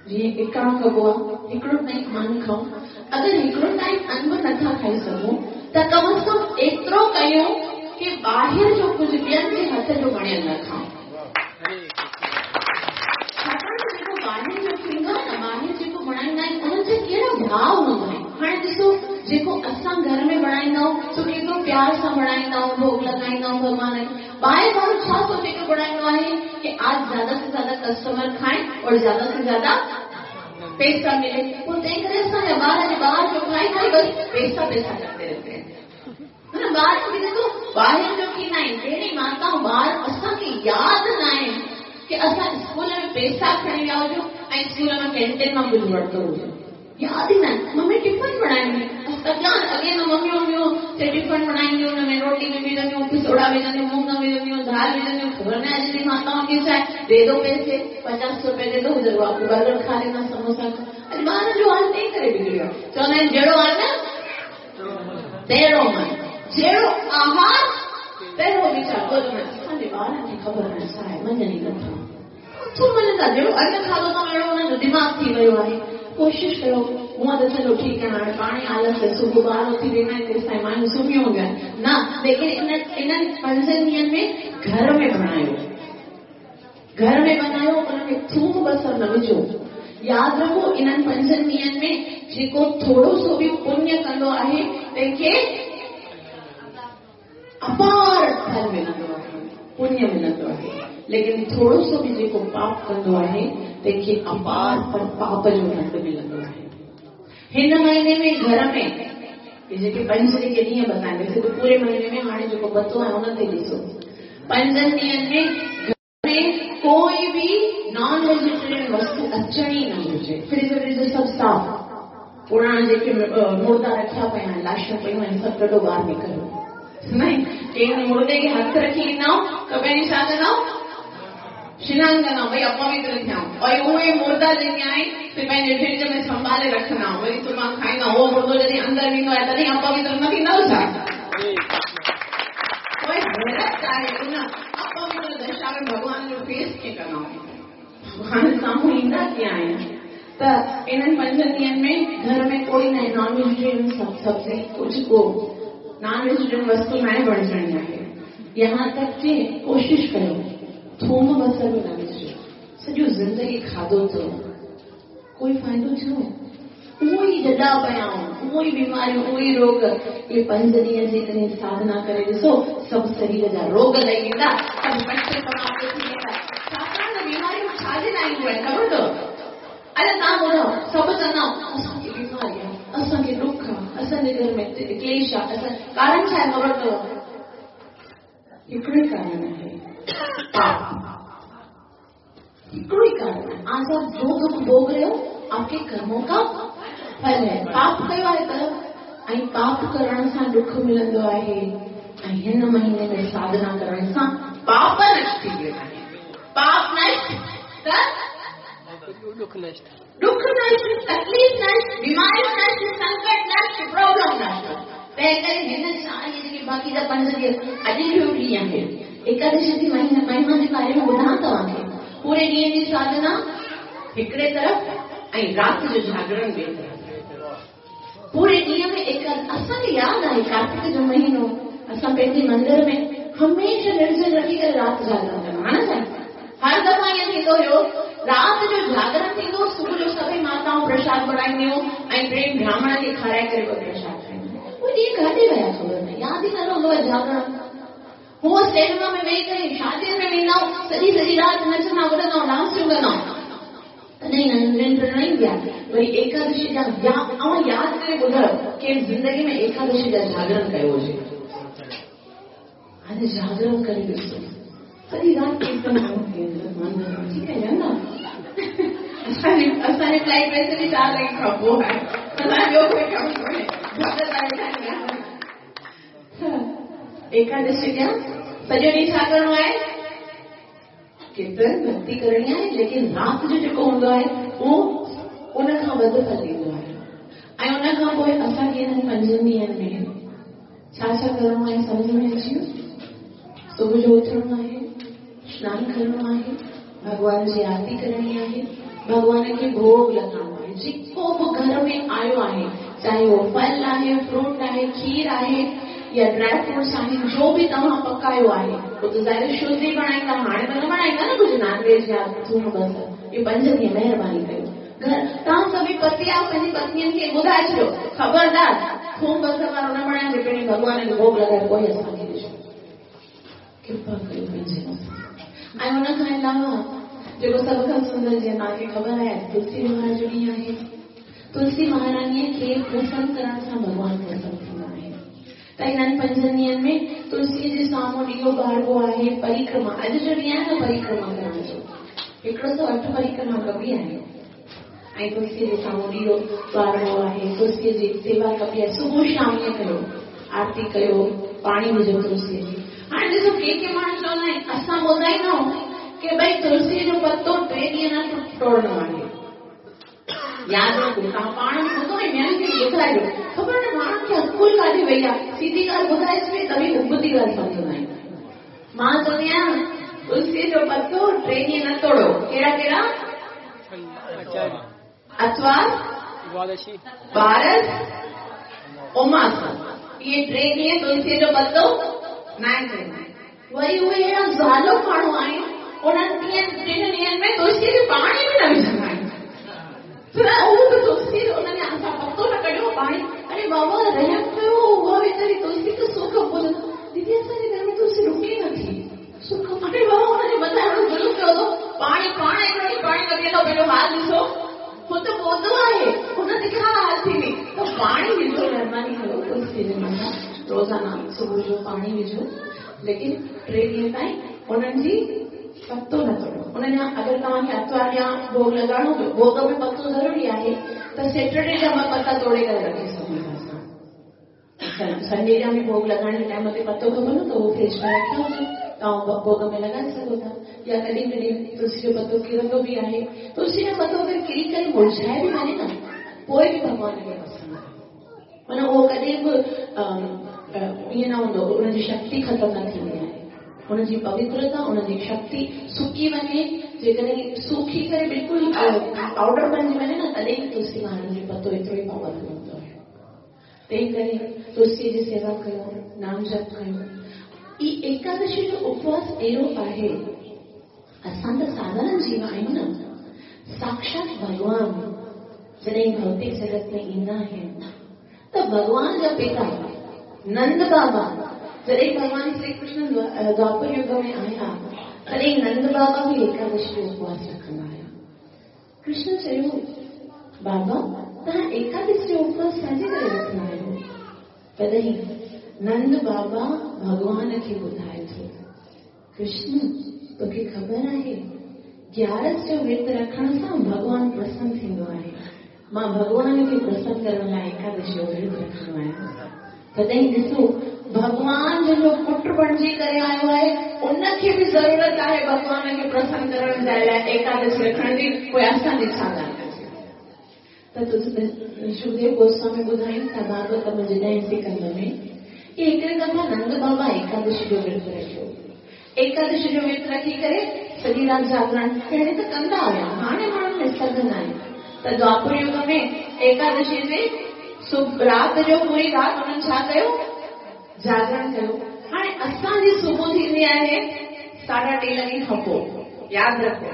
जीअं इकाणो कबो आहे, हिकिड़ो टाइम अन खाऊं। अगरि हिकिड़ो टाइम अन बि नथा खाई सघूं त कम अज़ कम एतिरो कयूं की ॿाहिरि जो कुझु ॿियनि जे हथ जो बणियल न खाऊं। छाकाणि त जेको ॿाहिरि जो थींदो आहे न, ॿाहिरि जेको बणाईंदा आहिनि उन्हनि जा कहिड़ा भाव हूंदा आहिनि। हाणे ॾिसो, जेको असां घर में बणाईंदा आहियूं सो केतिरो प्यार सां बणाईंदा आहियूं, भोग लॻाईंदा आहियूं भॻवान खे। ॿाहिरि वारो छा सोचे करे बणाईंदो आहे कि आज ज़्यादा से ज़्यादा कस्टमर खाएं और ज़्यादा से ज़्यादा पैसा मिले। पोइ तंहिं करे असांजा ॿार अॼु ॿाहिरि जो खाई खाई बसि पैसा पैसा करते रहते हैं, है न। ॿार बि ॾिसो ॿाहिरि जो थींदा आहिनि। कहिड़ी माताऊं ॿार असांखे यादि न आहिनि की असां स्कूल में पैसा खणी विया हुजूं ऐं स्कूल मां कैंटीन मां कुझु वरितो हुजे, यादि ई न आहिनि। मम्मी टिफन बणाईंदी, अॻे न मम्मियूं हुंदियूं ते टिफन बणाईंदियूं, हुन में रोटी बि विझंदियूं, पिसोड़ा विझंदियूं, मूंग विझंदियूं, दाल विझंदियूं। ख़बर न आहे अॼु जी माताऊं खे छा आहे, दे दो पैसे, 50 रुपए दे दो, उधर बर्गर खा लेना, समोसा खा। अॼु ॿारनि जो हाल तंहिं करे करे बिगिड़ियो आहे। चवंदा आहिनि जहिड़ो अन तहिड़ो मन, जहिड़ो आहार तहिड़ो वीचार। पोइ चवंदा आहिनि असांजे ॿारनि खे ख़बर न छा आहे, मञनि ई नथा, नथो मञनि था। जहिड़ो अन खाधो अथऊं अहिड़ो हुननि जो दिमाग़ थी वियो आहे। कोशिशि कयो, हूअं त चलो ठीकु आहे, हाणे पाण ई आलस सुबुह ॿार उथी वेंदा आहिनि तेसि ताईं माण्हू सुम्हियो हूंदियूं आहिनि न, लेकिन इन्हनि पंजनि ॾींहंनि में घर में बणायो, घर में बनायो, उन में थूम बसर न विझो। यादि रखो इन्हनि पंजनि ॾींहंनि में जेको थोरो सो बि पुण्य कंदो आहे तंहिंखे अपार फल मिलंदो आहे, पुण्य मिलंदो आहे। लेकिन थोरो सो बि जेको पाप कंदो आहे तंहिंखे अपार पर पाप जो दंड मिलंदो आहे। हिन महीने में घर में जेके पंज जेके ॾींहं बताइनि, वैसे त पूरे महीने में हाणे जेको बतो आहे उन ते ॾिसो, पंजनि ॾींहंनि में घर में कोई भी नॉन वेजिटेरियन वस्तु अचणी न घुरिजे। फ्रिज व्रिज सभु साफ़, पुराणा जेके मुर्दा रखिया पिया आहिनि, लाशूं पयूं आहिनि, सभु कढो ॿाहिरि निकिरो। न कंहिं मुर्दे खे हथु रखी ईंदा त पहिरीं छा कंदा, स्नान कंदा, भई अपवित्र थिया। और उहे मुर्दा जेके आहिनि ते पंहिंजे फ्रिज में संभाले रखंदा, वरी सुभाणे खाईंदा। उहो मुर्दो जॾहिं अंदरि वेंदो आहे तॾहिं अपवित्र न थींदो छा? पोइ हैरत आहे उन अपवित्र दशा में भॻवान जो फेस कीअं कंदा, भॻवान साम्हूं ईंदा कीअं आहिनि? त इन्हनि पंजनि ॾींहंनि में घर में कोई न नॉन वेजिटेरियन सब्ज़ी कुझु को नॉन वेजिटेरियन वस्तु न बणिजणी आहे। यहाँ तक की कोशिशि कयो थूम बसर बि न विझो। सॼो ज़िंदगी खाधो अथव, कोई फ़ाइदो थियो? उहो ई जॾा पिया आहिनि, उहो ई बीमारियूं, उहो ई रोग। इहे पंज ॾींहं जेकॾहिं साधना करे ॾिसो, सभु शरीर जा रोग लही वेंदा, सभु पचे समाप्त थी वेंदा। छाकाणि त बीमारियूं छाजे लाइ ईंदियूं आहिनि, ख़बर अथव? अरे तव्हां ॿुधायो, सभु चवंदा असांखे बीमारी आहे, असांखे ॾुख आहे, असांजे घर में क्लेश आहे, असां कारण छा आहे ख़बर अथव? हिकिड़ो ई कारण आहे, पाप। हिकिड़ो ई कारण आहे। आज आप जो दुख भोग रहे हो आपके कर्मों का फल है। पाप कयो आहे त ऐं पाप करण सां ॾुख मिलंदो आहे, ऐं हिन महीने में साधना करण सां पाप नष्ट थी वेंदा आहिनि। पाप नष्ट त दुख नष्ट, दुख नष्ट, तकलीफ़ नष्ट, बीमारी नष्ट, संकट नष्ट, प्रॉब्लम नष्ट। तंहिं करे हिन चारि जेके बाक़ी जा पंज ॾींहं अॼु जो ॾींहुं आहे एकादशी जी महिमा जे बारे में ॿुधां तव्हांखे। पूरे ॾींहं जी साधना हिकिड़े तरफ़ ऐं राति जो जागरण ॿिए तरफ़। पूरे ॾींहं में असांखे यादि आहे कार्तिक जो महीनो असां पंहिंजे मंदिर में हमेशह निर्जल रखी करे राति जागरण कंदा हा न साईं? हर दफ़ा ईअं थींदो हुयो, राति जो जागरण थींदो, सुबुह जो सभई माताऊं प्रसाद बणाईंदियूं ऐं प्रेम ब्राह्मण खे खाराए करे पोइ प्रसाद खाईंदियूं। उहे ॾींहं काॾे विया ख़बर न, यादि ई न रहंदो आहे जागरण। हूअं सिनेमा में वेही करे शादियुनि में वेंदा आहियूं, सॼी सॼी राति नचंदा कुॾंदा आहियूं, डांसियूं कंदा आहियूं, तॾहिं निंड न ईंदी आहे। वरी एकादशी जा ऐं यादि करे ॿुधायो कंहिं ज़िंदगी में एकादशी जा जागरण कयो हुजे। हाणे जागरण करे ॾिसो, सॼी राति कीर्तन ठीकु आहे न? असांजे फ्लाइट वैसे बि 4 लॻे खां पोइ आहे, असांजो ॿियो कोई कमु कोन्हे। एकादशी जा सॼो ॾींहुं छा करिणो आहे? कीर्तन भक्ति करणी आहे, लेकिन राति जो जेको हूंदो आहे उहो उन खां वधि फल ॾींदो आहे। ऐं उन खां पोइ असांखे हिननि पंजनि ॾींहंनि में छा छा करिणो आहे सम्झ में अची वियो? सुबुह जो उथणो आहे, सनानु करिणो आहे, भॻवान जी आरती करणी आहे, भॻवान खे भोग लॻाइणो आहे। जेको बि घर में आयो आहे, चाहे उहो फल आहे, फ्रूट आहे, खीर आहे या ड्राई फ्रूट्स आहिनि, जो बि तव्हां पकायो आहे उहो त ज़ाहिर शुद्ध ई बणाईंदा, हाणे त न बणाईंदा न कुझु नॉन वेज या थूम बसर। इहो पंज ॾींहं महिरबानी कयो घर तव्हां सभई पति आहियो, पंहिंजी पत्नीअ खे ॿुधाए छॾियो, ख़बरदार थूम बसर वारो न बणाइजो, पहिरीं भॻवान खे भोग लॻाए पोइ असांखे ॾिजो, कृपा कयो पंहिंजे मथां। ऐं हुन खां अलावा जेको सभ खां सुंदर जीअं तव्हांखे ख़बर आहे, तुलसी महाराज जो ॾींहुं आहे। तुलसी महाराणीअ खे प्रसन्न करण सां भॻवान प्रसन्न थींदा आहिनि। त इन्हनि पंजनि ॾींहंनि में तुलसीअ जे साम्हूं ॾीओ ॿारबो आहे, परिक्रमा। अॼु जो ॾींहुं आहे न परिक्रमा करण जो, 108 परिक्रमा कबी आहे। ऐं तुलसीअ जे साम्हूं ॾीओ ॿारबो आहे, तुलसीअ जी सेवा कबी आहे। सुबुह शाम ईअं कयो, आरती कयो, पाणी विझो तुलसीअ जी। हाणे ॾिसो के के माण्हू चवंदा आहिनि, असां ॿुधाईंदा आहियूं की भई तुलसीअ जो पतो 3 ॾींहं न टोड़णो आहे। यादि रखो, तव्हां पाण बि ॿुधो ऐं ॿियनि खे बि ॿुधाइजो। ख़बर न माण्हुनि खे अकुल काॾे वई आहे, सीधी ॻाल्हि ॿुधाए छॾे तव्हीं उबती ॻाल्हि सम्झंदा आहिनि। मां चवंदी आहियां तुलसीअ जो पतो टे ॾींहं न तोड़ो। कहिड़ा कहिड़ा? आतिवार, बारस, उमास, इहे टे ॾींहं तुलसीअ जो पतो न तोड़ो। वरी उहे अहिड़ा ज़ालो माण्हू आहिनि, उन्हनि टिनि ॾींहंनि में तुलसीअ खे पाणी बि न विझंदा आहिनि। उहो बि तुलसी उन्हनि असां पतो न कढियो पाणी। अरे बाबा रहम कयो, उहा वीचारी तुलसी त सुख पोइ दीदी असांजे घर में तुलसी रुके नथी सुख। अरे बाबा हुनजे मथां अहिड़ो ज़ुल्म कयो अथो, पाणी पाण हिकिड़ो ॾींहुं पाणी न पीअंदो, पंहिंजो हाल ॾिसो, हू त पौधो आहे, हुन ते छा हाल थींदी। त पाणी विझो, महिरबानी कयो तुलसी जे मथां रोज़ाना सुबुह जो पाणी विझो, लेकिन टे ॾींहं ताईं उन्हनि जी पतो न तोड़ो। उन्हनि जा अगरि तव्हांखे आतिवार या भोग लॻाइणो पियो, भोग में पतो ज़रूरी आहे, त सैटरडे जा ॿ पता तोड़े करे रखे सघूं था असां। संडे जा बि भोग लॻाइण जे टाइम ते पतो खपंदो त उहो फ्रिज में रखियो हुजे, तव्हां भोग में लॻाए सघो था। या कॾहिं कॾहिं तुलसी जो पतो किरंदो बि आहे, तुलसी जो पतो अगरि किरी करे मुरझाए बि वञे न, पोइ बि भॻवान खे पसंदि आहे। माना उहो कॾहिं बि ईअं न हूंदो, उनजी शक्ति ख़तमु न थींदी आहे, उनजी पवित्रता, उनजी शक्ति सुकी वञे, जेकॾहिं सुकी करे बिल्कुलु पाउडर बणिजी वञे न, तॾहिं तुलसी महाराज जो पतो एतिरो ई पावरफुल हूंदो आहे। तंहिं करे तुलसीअ जी सेवा कयो, नाम जप कयो। ई एकादशी जो उपवास अहिड़ो आहे, असां त साधारण जीव आहियूं न, साक्षात भॻवान जॾहिं भौतिक जगत में ईंदा आहिनि त भॻवान जा पिता नंद बाबा, जॾहिं भॻवान श्री कृष्ण द्वापर युग में आया तॾहिं नंद बाबा बि एकादशी जो उपवास रखंदा हुआ। कृष्ण चयो, बाबा तव्हां एकादशी जो उपवास छाजे करे रखंदा आहियो? तॾहिं नंद बाबा भॻवान खे ॿुधाए थो, कृष्ण तोखे ख़बर आहे ग्यारस जो व्रत रखण सां भॻवान प्रसन्न थींदो आहे, मां भॻवान खे प्रसन्न करण लाइ एकादशी जो व्रत रखंदो आहियां। तॾहिं ॾिसो भॻवान जो पुट बणिजी करे आयो आहे, उनखे बि ज़रूरत आहे भॻवान खे प्रसन्न करण जे लाइ एकादशी रखण जी, पोइ असांजी छा ॻाल्हि कजे? त सुखदेव गोस्वामी ॿुधाइनि था भागवत में ॾहें सिकंद में की हिकिड़े दफ़ा नंद बाबा एकादशी जो व्रत रखियो। एकादशी जो व्रत रखी करे सॼी राति जागरण पहिरीं त कंदा हुया, हाणे माण्हुनि में सघ न आहे। त द्वापर युग में एकादशी जे राति जो पूरी राति उन्हनि छा कयो? जागरण कयो। हाणे असांजी सुबुह थींदी आहे 3:30 लॻे खां पोइ, यादि रखो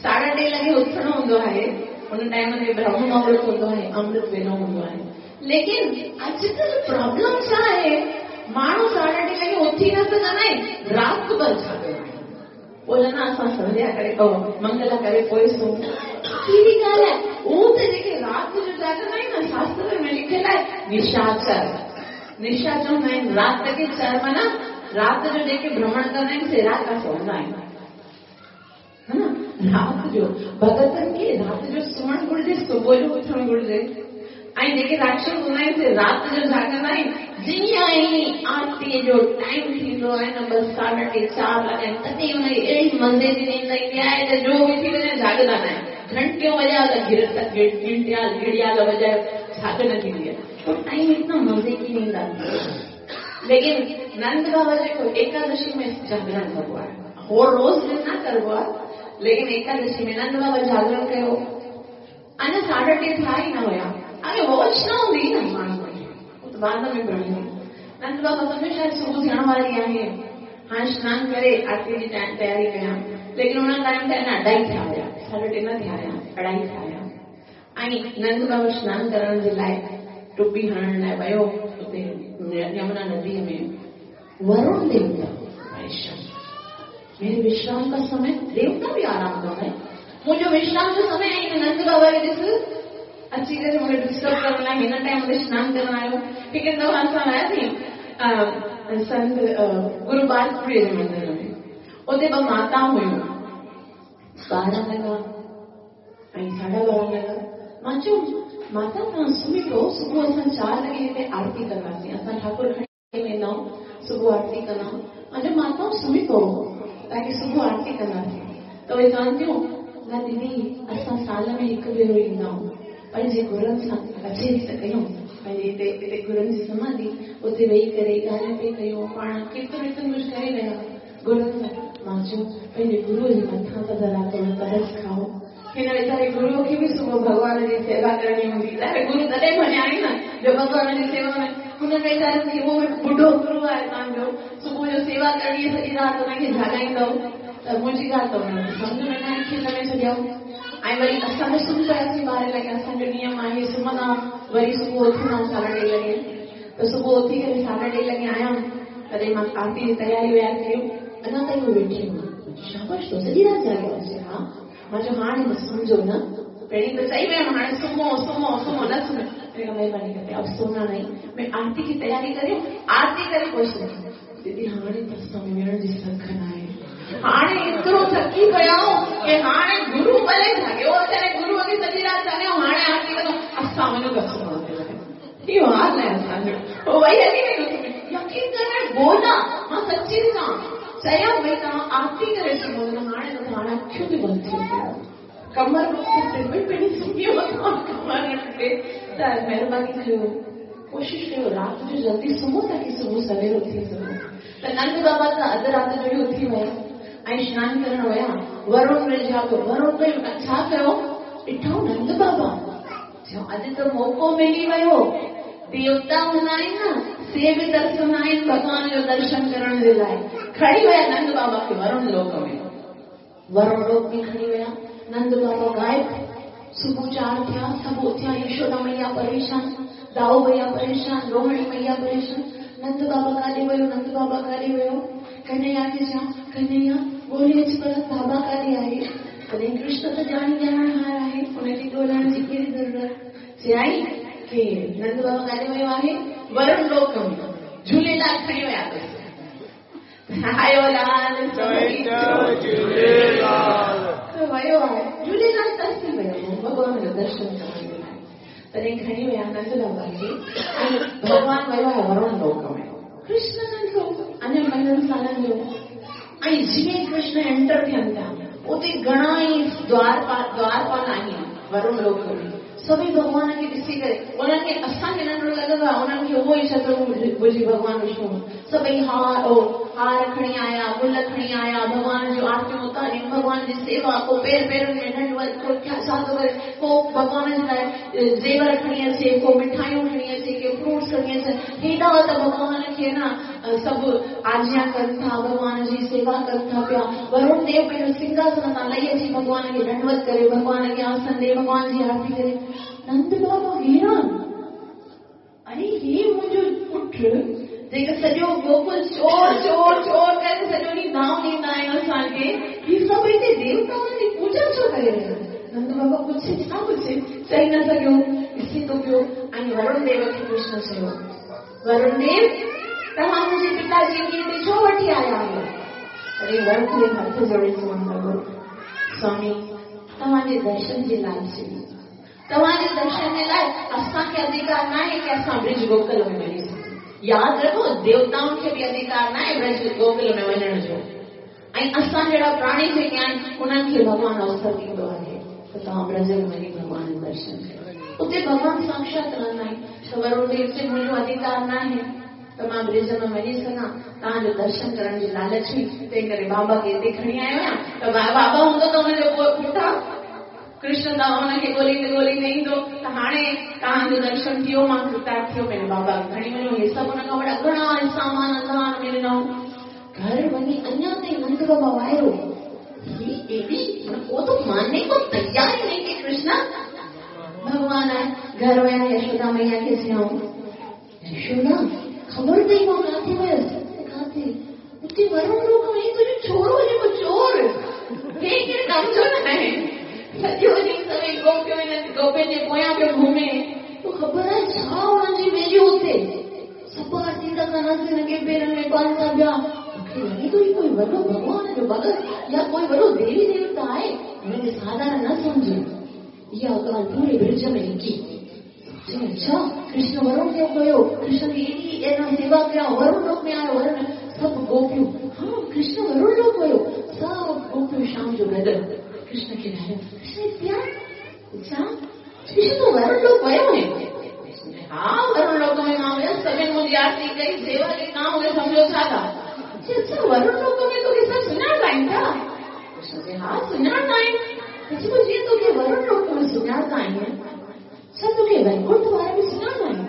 3:30 लॻे उथणो हूंदो आहे, उन टाइम ते ब्रह्म मुहूर्त हूंदो आहे, अमृत वेलो हूंदो आहे। लेकिन अॼुकल्ह प्रॉब्लम छा आहे, माण्हू 3:30 लॻे उथी न सघंदा आहिनि, राति भरि जाॻंदा आहिनि। पोइ न असां संध्या करे मंगला करे पोइ सुम्हूं, कहिड़ी ॻाल्हि आहे? उहो त जेके राति जो जाॻंदा आहिनि न, शास्त्र में लिखियलु आहे निशाचर, निशा चवंदा आहिनि राति खे, चर माना राति जो जेके भ्रमण कंदा आहिनि से राकास हूंदा आहिनि, हा न। राति जो भॻतनि खे राति जो सुम्हणु घुरिजे, सुबुह जो उथणु घुरिजे। ऐं जेके राक्षस हूंदा आहिनि से राति जो जाॻंदा आहिनि, जीअं ई आरतीअ जो टाइम थींदो आहे न, बसि 3:30 4 लॻा आहिनि, तॾहिं हुनखे अहिड़ी मज़े जी नींद ईंदी आहे त जो बि थी वञे जाॻंदा न आहिनि। घंटियूं वॼायो त घड़ियाल वॼायो, जाॻ न थींदी आहे। तो टाइम इतना मज़े की नींद आती है। लेकिन नंद बाबा जेको एकादशी में जागरण कबो आहे, हो रोज़ न करबो आहे, लेकिन एकादशी में नंद बाबा जागरण कयो। अञा 3:30 थिया ई न हुया, हाणे वॉच न हूंदी न माण्हू वटि, उहो त बाद में पढ़ी। नंद बाबा सम्झो शायदि सुबुह थियण वारी आहे, हाणे सनानु करे आरती जी तयारी कयां, लेकिन उन टाइम ते अञा 2:30 थिया हुया, 3:30 न थिया हुया, 2:30 थिया हुया। ऐं नंद बाबा सनानु करण जे लाइ टुपी हणण लाइ वियो उते यमुना नदीअ में। वरुण देवता मेरे विश्राम का समय, देवता बि आराम कंदा आहिनि, मुंहिंजो विश्राम जो समय आहे। नंद बाबा खे ॾिस अची करे मूंखे डिस्टर्ब करण लाइ हिन टाइम ते सनानु करण आयो। हिकु दफ़ो असां वियासीं संत गुरु बालपुरीअ जे मंदिर में, उते ॿ माताऊं हुयूं, 12 लॻा ऐं 12:30 लॻा। मां चयो माता तव्हां सुम्ही पियो, सुबुह असां 4 लॻे हिते आरती कंदासीं, असां ठाकुर खणी वेंदा आहियूं, सुबुह आरती कंदा आहियूं। मां चयो माता सुम्ही पियो ताकी सुबुह आरती कंदासीं। त उहे चवनि थियूं न दीदी असां साल में हिकु भेरो ईंदा आहियूं, पंहिंजे गुरुनि सां कचेरी त कयूं, पंहिंजे हिते हिते गुरुनि जी समाधि उते वेही करे ॻाल्हियूं पई कयूं, पाण केतिरो केतिरो कुझु करे रहिया गुरुनि सां। मां चयो पंहिंजे गुरूअ जे मथां त ज़रा थोरो तरस खाओ। हिन वीचारे गुरूअ खे बि सुबुह भॻवान जी सेवा करणी हूंदी, ॿाहिरि गुरू तॾहिं मञा आहिनि न जो भॻवान जी सेवा में। हुन वीचारनि खे उहो ॿुढो गुरू आहे तव्हांजो, सुबुह जो सेवा करणी सॼी राति हुनखे जाॻाईंदव त मुंहिंजी ॻाल्हि त हुनखे सम्झ में न आई, खिल में छॾियऊं। ऐं वरी असां बि सुम्ही पियासीं ॿारहं लॻे, असांजो नियम आहे सुम्हंदा वरी सुबुह उथंदा आहियूं 3:30 लॻे। त सुबुह उथी करे 3:30 लॻे आयमि, तॾहिं मां आरती जी तयारी वयारी कयूं, अञा ताईं उहे वेठी हुआ। शाबाश, तो सॼी राति जाॻियो आहे? हा। मां चयो हाणे त सम्झो न, पहिरीं त चई वियमि हाणे सुम्हो सुम्हो सुम्हो, न सुम्हे। महिरबानी करे अब सोना नहीं, मैं आरती की तयारी करियो, आरती करे पोइ सुम्हो। दीदी हाणे त असां में विहण जी सघ न आहे, हाणे एतिरो थकी पिया आहियूं की हाणे गुरू भले जाॻियो अचे, गुरूअ खे सॼी राति जाॻियो, हाणे आरती कंदो, असां वञूं त सुम्हण ते लॻे। इहो हाल आहे असांजो। पोइ वही हली वई। यकीन करण बोला, मां सची थी चवां, चयमि भई तव्हां आरती करे सुम्हो, हाणे त हाणे अखियूं बि बंदि थी वयूं, कमर टुटे पई, पहिरीं सुम्ही कमर न टुटे। त महिरबानी कयो, कोशिशि कयो राति जो जल्दी सुम्हो ताकी सुबुह सवेर उथी सघो। त नंद बाबा त अधु राति जो ई उथी विया ऐं सनानु करण विया। वरुण रिझा पियो, वरुण पियो छा कयो, ॾिठो नंद बाबा, चयो अॼु त मौक़ो मिली वियो, देवता हूंदा आहिनि न, से बि दर्शन आहिनि भॻवान जो दर्शन करण जे लाइ। खणी विया नंद बाबा खे वरुण लोक में, वरुण लोक में खणी विया। नंद बाबा ग़ाइब। सुबुह 4 थिया, सभु उथिया, यशोदा मैया परेशान, दाऊ भैया परेशान, रोहिणी मैया परेशान, नंद बाबा काॾे वियो, नंद बाबा काॾे वियो। कन्हैया खे चयां, कन्हैया ॻोल्हे अच पर बाबा काॾे आहे। तॾहिं कृष्ण त ॼाणी ॼाणणहार आहे, हुनखे ॻोल्हण जी कहिड़ी ज़रूरत। चयाई की नंद बाबा काॾे वियो आहे, वरुण लोक में, झूलेलाल खणी विया अथसि। आयो लाल झूलेलाल त वियो आहे, झूलेलाल तरसी वियो भॻवान जो दर्शन करण जे लाइ। तॾहिं खणी विया नंद बाबा खे ऐं भॻवान वियो आहे वरुण लोक में। कृष्ण नंढो अञा महीननि सालनि जो, ऐं जीअं कृष्ण एंटर थियनि था उते घणा ई द्वारपाल आहिनि वरुण लोक में, सभई भॻवान खे ॾिसी करे उन्हनि खे असांखे नंढो लॻंदो आहे, उन्हनि खे उहो ई चतुर्भुजी भॻवान विष्णु। सभई हार खणी आया, गुल खणी आया, भॻवान जूं आरतियूं उतारियूं, भॻवान जी सेवा, को पेर पेरनि में ॾंडवत, को छा थो करे, को भॻवान जे लाइ ज़ेवर खणी अचे, को मिठाइयूं खणी अचे, के फ्रूट्स खणी अचे। हेॾा त भॻवान खे न सभु आजिया कनि था, भॻवान जी सेवा कनि था पिया। वरुण देव पंहिंजो सिंहासन तां लही अची भॻवान खे दंडवत करे, भॻवान खे आसन ॾे, भॻवान जी आरती करे। नंद बाबा हैरान, अरे हे मुंहिंजो पुटु जेको सॼो गोकुल चोर चोर चोर करे सॼो ॾींहुं दांव ॾींदा आहिनि असांखे, ही सभु हिते देवताउनि जी पूजा छो करे रहिया आहिनि? नंद बाबा पुछे छा पुछे, चई न सघियो, ॾिसी थो पियो। ऐं वरुण देव खे कृष्ण चयो, वरुण देव तव्हां मुंहिंजे पिताजी खे हिते छो वठी आया आहियो? तॾहिं वरुण देव हथ जोड़े चवणु लॻो, स्वामी तव्हांजे दर्शन जे लाइ चई, तव्हांजे दर्शन जे लाइ असांखे अधिकार न आहे की असां ब्रिज गोकुल में वञी सघूं। यादि रखो, देवताउनि खे बि अधिकार न आहे ब्रज गोकुल में वञण जो, ऐं असां जहिड़ा प्राणी जेके आहिनि उन्हनि खे भॻवानु अवसर ॾींदो आहे त तव्हां ब्रज में वञी भॻवान जो दर्शन कयो। उते भॻवानु साक्षात रहंदा आहिनि। त वरुण देव चए मुंहिंजो अधिकार न आहे त मां ब्रिज में वञी सघां, तव्हांजो दर्शन करण जी लालच हुई, तंहिं करे बाबा खे हिते खणी आयो आहियां। त बाबा हूंदो त हुनजो पुठां कृष्ण तव्हां हुनखे ॻोल्हींदे ॻोल्हींदे ईंदो, त हाणे तव्हांजो दर्शन थियो, मां कृतार्थ थियो, पंहिंजे बाबा खे खणी वञो। हे सभु हुन खां वॾा घणा सामान धान में ॾिनऊं। घर वञी अञा ताईं नंद बाबा वायरो, ही एॾी वो तो मानने को तैयार ही नहीं कि कृष्ण भॻवान आहे। घर विया यशोदा मैया खे चयऊं, यशोदा ख़बर अथई मां किथे वियसि? किथे? उते वरुण लोक में तुंहिंजो छोरो जेको चोर, हे केरु कमु जो न आहे, सॼो ॾींहुं सभई गोपियूं गोपियुनि जे पोयां पियो घुमे, तो ख़बर आहे छा हुननि जी वैल्यू उते? सभु आरती था कनि, हिनखे पेरनि में पानि था पिया। मूंखे लॻे थो कोई वॾो भॻवान जो भगत या कोई वॾो देवी देवता आहे, हुनखे साधारण न सम्झो। इहा ॻाल्हि पूरे ब्रिज में लिखी। अच्छा, कृष्ण वरुण देव कयो, कृष्ण एॾी एना सेवा कया, वरुण लोक में आयो, वरुण सभु गोपियूं, हा कृष्ण वरुण लोक कयो, सभु गोपियूं शाम जो गॾु कृष्ण खे ॻाल्हायो, कृष्ण हिते आ, छा कृष्ण तूं वरुण लोक वियो आहीं? हा, वरुण लोक में मां वियुसि, सभिनी मुंहिंजी आरती कई, सेवा कई, तव्हां मूंखे सम्झो छा था? अच्छा, वरुण लोक में तोखे सभु सुञाणंदा आहिनि छा? कृष्ण चए हा, सुञाणंदा आहिनि। चए जीअं तोखे वरुण लोक में सुञाणंदा आहिनि, छा तोखे वैकुंठ वारा बि सुञाणंदा आहिनि?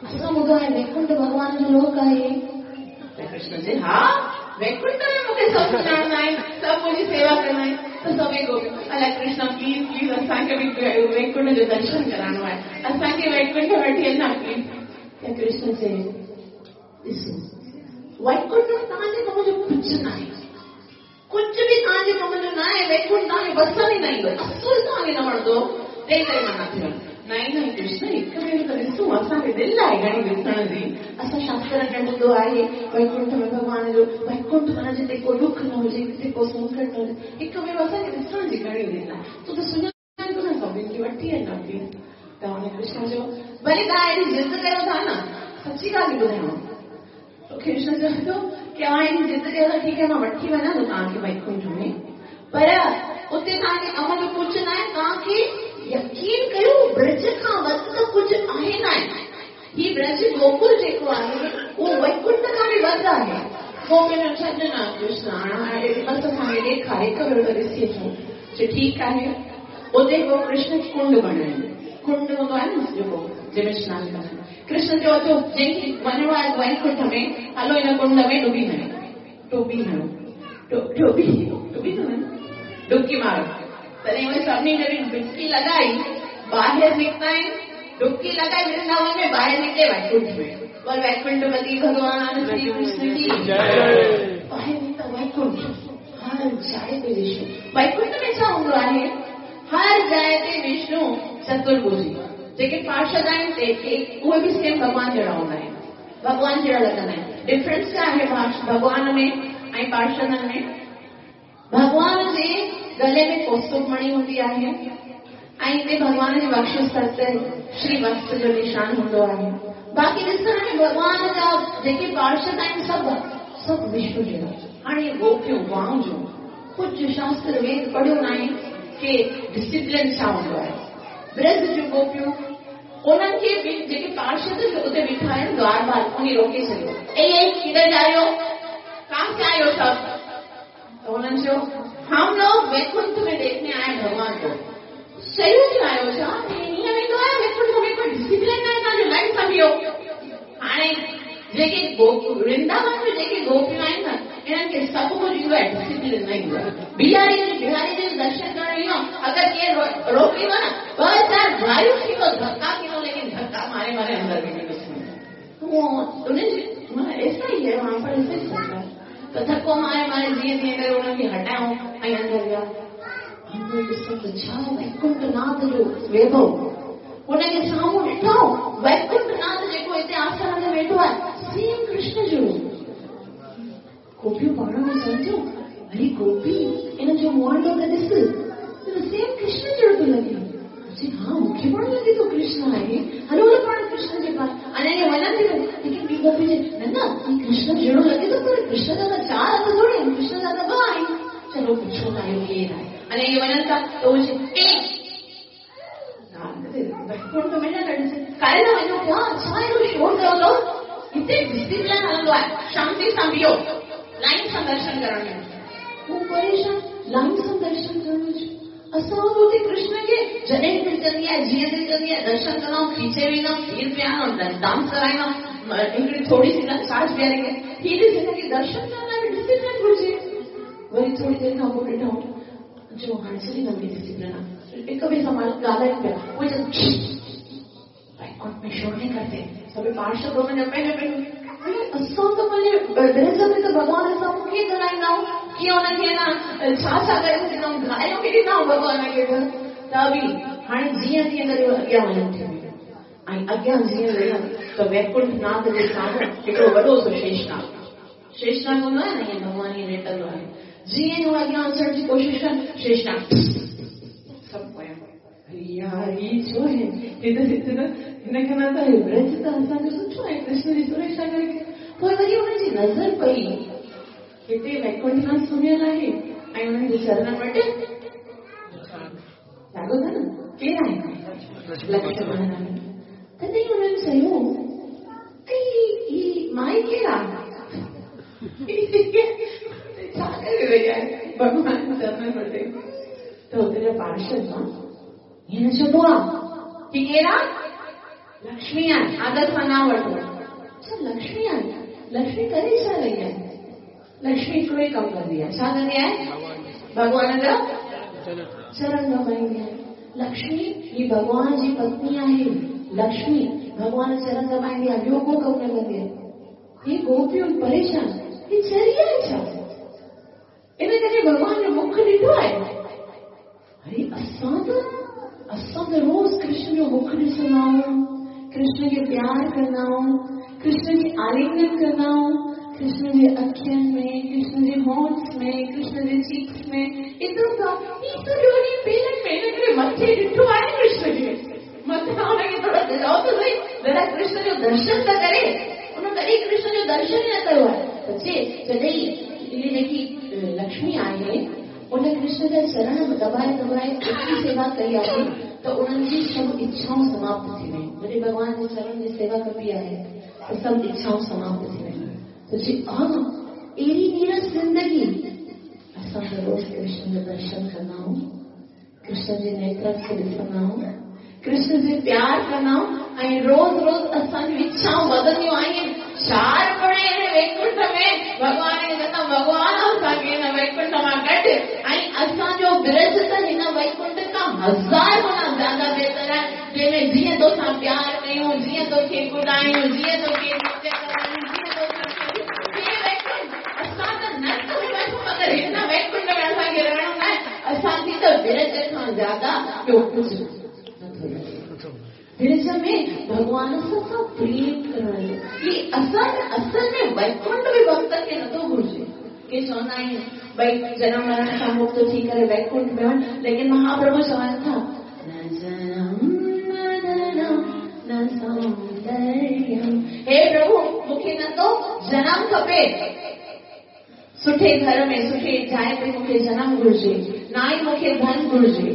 असां ॿुधो आहे वैकुंठ भॻवान जो लोक आहे। त कृष्ण चए हा, वैकुंठ में मूंखे सभु सुञाणंदा आहिनि, सभु मुंहिंजी सेवा कंदा आहिनि। त सभई गोपियूं, अलाए कृष्ण प्लीज़ प्लीज़ असांखे बि वैकुंठ जो दर्शन कराइणो आहे, असांखे वैकुंठ वठी वञा प्लीज़। त कृष्ण चए ॾिसो, वैकुंठ में तव्हांजे कम जो कुझु न आहे, कुझु बि तव्हांजे कम जो न आहे, वैकुंठ तव्हांखे पसंदि ई न ईंदो, असुल तव्हांखे न वणंदो, तंहिं करे मां नथी वञा। नहीं नहीं कृष्ण, हिकु भेरो त ॾिसूं, असांखे दिलि आहे घणी ॾिसण जी। असां शास्त्रनि में ॿुधो आहे वैकुंठ में भॻवान जो वैकुंठ माना जिते को दुख न हुजे, जिते को संकट न हुजे, हिकु भेरो असांखे ॾिसण जी घणी दिलि आहे। तूं त सुञाणे थो न सभिनी खे, वठी वञ प्लीज़। त हुन कृष्ण चयो भले तव्हां एॾी ज़िद कयो था न, सची ॻाल्हि ॿुधायांव। त कृष्ण चए थो की तव्हां एॾी ज़िद कयो था, ठीकु आहे मां वठी वञा थो तव्हांखे वैकुंठ में, पर उते तव्हांखे कम जो कुझु न आहे, तव्हांखे यकीन कयो ब्रज खां वधि त कुझु आहे न आहे। ही ब्रज गोकुल जेको आहे उहो वैकुंठ खां बि वधि आहे। गोपियुनि छॾ न कृष्ण, हाणे बसि असांखे ॾेखारे, हिकु भेरो त ॾिसी अचूं। चए ठीकु आहे। उते पोइ कृष्ण कुंड बणायो, कुंड हूंदो आहे न जेको जंहिंमें सनानु कंदा आहिनि। कृष्ण चयो अचो, जंहिंखे वञिणो आहे वैकुंठ में, हलो हिन कुंड में डुबी हणो, टोबी हणो, टोबी डुबी थो डुबकी मारो। तॾहिं उहे सभिनी जॾहिं डुबकी लॻाई, ॿाहिरि निकिता आहिनि, डुबकी लॻाई वृंदावन में, ॿाहिरि निकिते वैकुंठ में। बोल वैकुंठपति भगवान श्री कृष्ण की जय। ॿाहिरि निकिता वैकुंठ, हर जाइ ते विष्णु। वैकुंठ में छा हूंदो आहे? हर जाइ ते विष्णु चतुर्भुजी, जेके पार्षद आहिनि ते उहे बि सेम भॻवान जहिड़ा हूंदा आहिनि, भॻवान जहिड़ा लॻंदा आहिनि। डिफरेंस छा आहे भॻवान में ऐं पार्षदनि में? भॻवान जे गले में कौस्तुभमणि हूंदी आहे ऐं हिते भॻवान जे वक्षस्थल ते श्री वत्स जो निशान हूंदो आहे। बाक़ी ॾिसण में भॻवान जा जेके पार्षद आहिनि सभु सभु विष्णु जहिड़ा। हाणे गोपियूं गांव जो कुझु शास्त्र वेद पढ़ियो न आहे की डिसिप्लिन छा हूंदो आहे। ब्रज जूं गोपियूं उन्हनि खे बि जेके पार्षद उते बीठा आहिनि द्वारपाल, उन रोके छॾियो, ए ए किधर जा रहे हो, कहाँ से आए हो सब? तो उन्हनि चयो हम लोग वैकुंठ में देखने आए भगवान को। शयूं जो आयो छा ईअं वेंदो आहे वैकुंठ में, कोई डिसिप्लिन न आहे तव्हांजो, लाइन सां बीहो। हाणे जेके वृंदावन में जेके गोपियूं आहिनि न, इन्हनि खे सभु कुझु ईंदो आहे, डिसिप्लिन न ईंदो आहे। बिहारी बिहारी जो दर्शन करणु ईंदो, अगरि केरु रोकींदो न, ॿ चारि गारियूं थींदो, धक्का थींदो, लेकिन धक्का मारे मारे अंदरि वेंदो। उन्हनि ऐसा ही है वहां पर, ऐसा ही चलता है। त धको मारे मारे जीअं तीअं करे उन्हनि खे हटायूं ऐं अंदरि विया। अंदरि ॾिसो त छा वैकुंठनाथ जो वैभव, हुनखे साम्हूं ॾिठो वैकुंठनाथ जेको हिते आसन ते वेठो आहे, सेम कृष्ण जो। गोपियूं पाण में चवनि थियूं, अरे गोपी, इन जो मुआंडो त ॾिस, सेम कृष्ण जहिड़ो थो लॻे। चए हा, मूंखे पाण लॻे थो कृष्ण आहे, हलो हलो पाण कृष्ण जे पास। अञा इहे वञनि थी, लेकिन ॿी गोपी चए न न, हीउ कृष्ण जहिड़ो लॻे थो, पर कृष्ण जा त चारि हथ थोरी आहिनि, कृष्ण जा त ॿ आहिनि। चलो पुछो था इहो केरु आहे। अञा इहे वञनि था त उहे चए ए वैकुंठ में न ॾिस, काॾे था वञो पिया, छा एॾो शोर कयो अथव? हिते डिसिप्लिन हलंदो आहे, शांति सां बीहो, लाइन सां दर्शन करण में। हू परेशान, लाइन सां दर्शन करण जो असां उते कृष्ण खे जॾहिं दिलि कंदी आहे, जीअं दिलि कंदी आहे, दर्शन कंदा आहियूं, खींचे वेंदा आहियूं, खीर पीअंदा आहियूं, डांस कराईंदा आहियूं, हिकिड़ी थोरी सी छाछ पीआरे खे। हीअ ॾिस, हिनखे दर्शन करण लाइ बि डिसिप्लिन घुरिजे। वरी थोरी देरि खां पोइ ॾिठो जो हाणे सॼी नवी डिसिप्लिन आहे, हिक ॿिए सां ॻाल्हाइनि पिया, उहे चवनि वैकुंठ में शोर नहीं करते, सभई पार्षद हुननि जा पंहिंजो पंहिंजो। असां त पंहिंजे ब्रज में त भॻवान सां कीअं ॻाल्हाईंदा आहियूं, कीअं हुनखे न छा छा करे ॾींदा आहियूं, गायूं बि ॾींदा आहियूं भॻवान खे त बि। हाणे जीअं तीअं करे अॻियां वञनि थियूं ऐं अॻियां जीअं वञनि त वैकुंठनाथ जे साम्हूं हिकिड़ो वॾो सो शेषनाग, शेषनाग हूंदो आहे न, ईअं भॻवान ईअं लेटंदो आहे। जीअं ई हू अॻियां अचण जी कोशिशि कनि, शेषनाग सभु पोयां। यार हीउ छो आहे? ही त हिन खां न त ब्रज त असांजो सुठो आहे, कृष्ण जी सुरक्षा करे। पोइ वरी हुनजी नज़र पई, हिते वैकुंठनाथ सुम्हियल आहे ऐं हुननि जे चरणनि वटि साॻियो था न, केरु आहे? लक्ष्मण। तॾहिं हुननि चयो, ही माई केरु आहे? छा करे रही आहे भॻवान चरणनि वटि? त हुते जा पार्षद मां हीअं न चइबो आहे की केरु आहे? लक्ष्मी आहे, आदर सां न वठो। अच्छा, लक्ष्मी आहे, लक्ष्मी करे छा रही आहे? लक्ष्मी हिकिड़ो ई कमु कंदी आहे। छा कंदी आहे? भॻवान जा चरण दॿाईंदी आहे। लक्ष्मी ही भॻवान जी पत्नी आहे। लक्ष्मी भॻवान चरण दॿाईंदी आहे, ॿियो को कमु न कंदी आहे। ही गोपियूं परेशान, ही चरी आहे छा? इन कॾहिं भॻवान जो मुख ॾिठो आहे? अरे असां त रोज़ कृष्ण जो मुख ॾिसंदा आहियूं, कृष्ण खे प्यार कंदा आहियूं, कृष्ण खे आलिंगन कंदा आहियूं, कृष्ण जे अखियुनि में, कृष्ण जे हॉर्न्स में, कृष्ण जे चीक्स में, एतिरो त ही सॼो ॾींहुं पेरनि में, हिन करे मथे ॾिठो आहे कृष्ण खे, मथां हुनखे थोरो ॾिसो त सही, ज़रा कृष्ण जो दर्शन त करे। हुन कॾहिं कृष्ण जो दर्शन ई न कयो आहे। त चए जॾहिं इहे जेकी लक्ष्मी आहे उन कृष्ण जा चरण दॿाए दॿाए एतिरी सेवा कई आहे त उन्हनि जी सभु इच्छाऊं समाप्त थी वयूं। जॾहिं भॻवान जे चरण जी सेवा कबी आहे त सभु इच्छाऊं समाप्त थी वयूं। त चए हा, अहिड़ी नीरस ज़िंदगी। असां त रोज़ कृष्ण जो दर्शन कंदा आहियूं, कृष्ण जे नेत्रनि खे ॾिसंदा आहियूं, कृष्ण जे प्यार कंदा आहियूं ऐं रोज़ रोज़ असांजी इच्छाऊं वधंदियूं आहिनि। चार पड़े हिन वैकुंठ में भॻवान खे चवंदा, भॻवान असांखे हिन वैकुंठ मां कढ, ऐं असांजो ब्रज त हिन वैकुंठ खां 1000 गुना ज़्यादा बहितर आहे, जंहिंमें जीअं तोसां प्यार कयूं, जीअं तोखे कुॾायूं, जीअं तोखे जीअं तोसां वैकुंठ। असां त नरक में वञूं, मगर हिन वैकुंठ में असांखे रहणो न आहे। असांखे त ब्रज खां ज़्यादा ॿियो कुझु नथो लॻे। ब्रज में भॻवान सां प्रेम करण जो ही असल असल में वैकुंठ बि भक्त खे नथो घुरिजे। के चवंदा आहिनि भई जनम मरण खां मुक्त थी करे वैकुंठ में वञ, लेकिन महाप्रभु चवनि था न जनम न धनम न सौंदर्यम। हे प्रभु, मूंखे न तो जनम खपे, सुठे घर में सुठे जाइ ते मूंखे जनम घुरिजे, न ई मूंखे धन घुरिजे,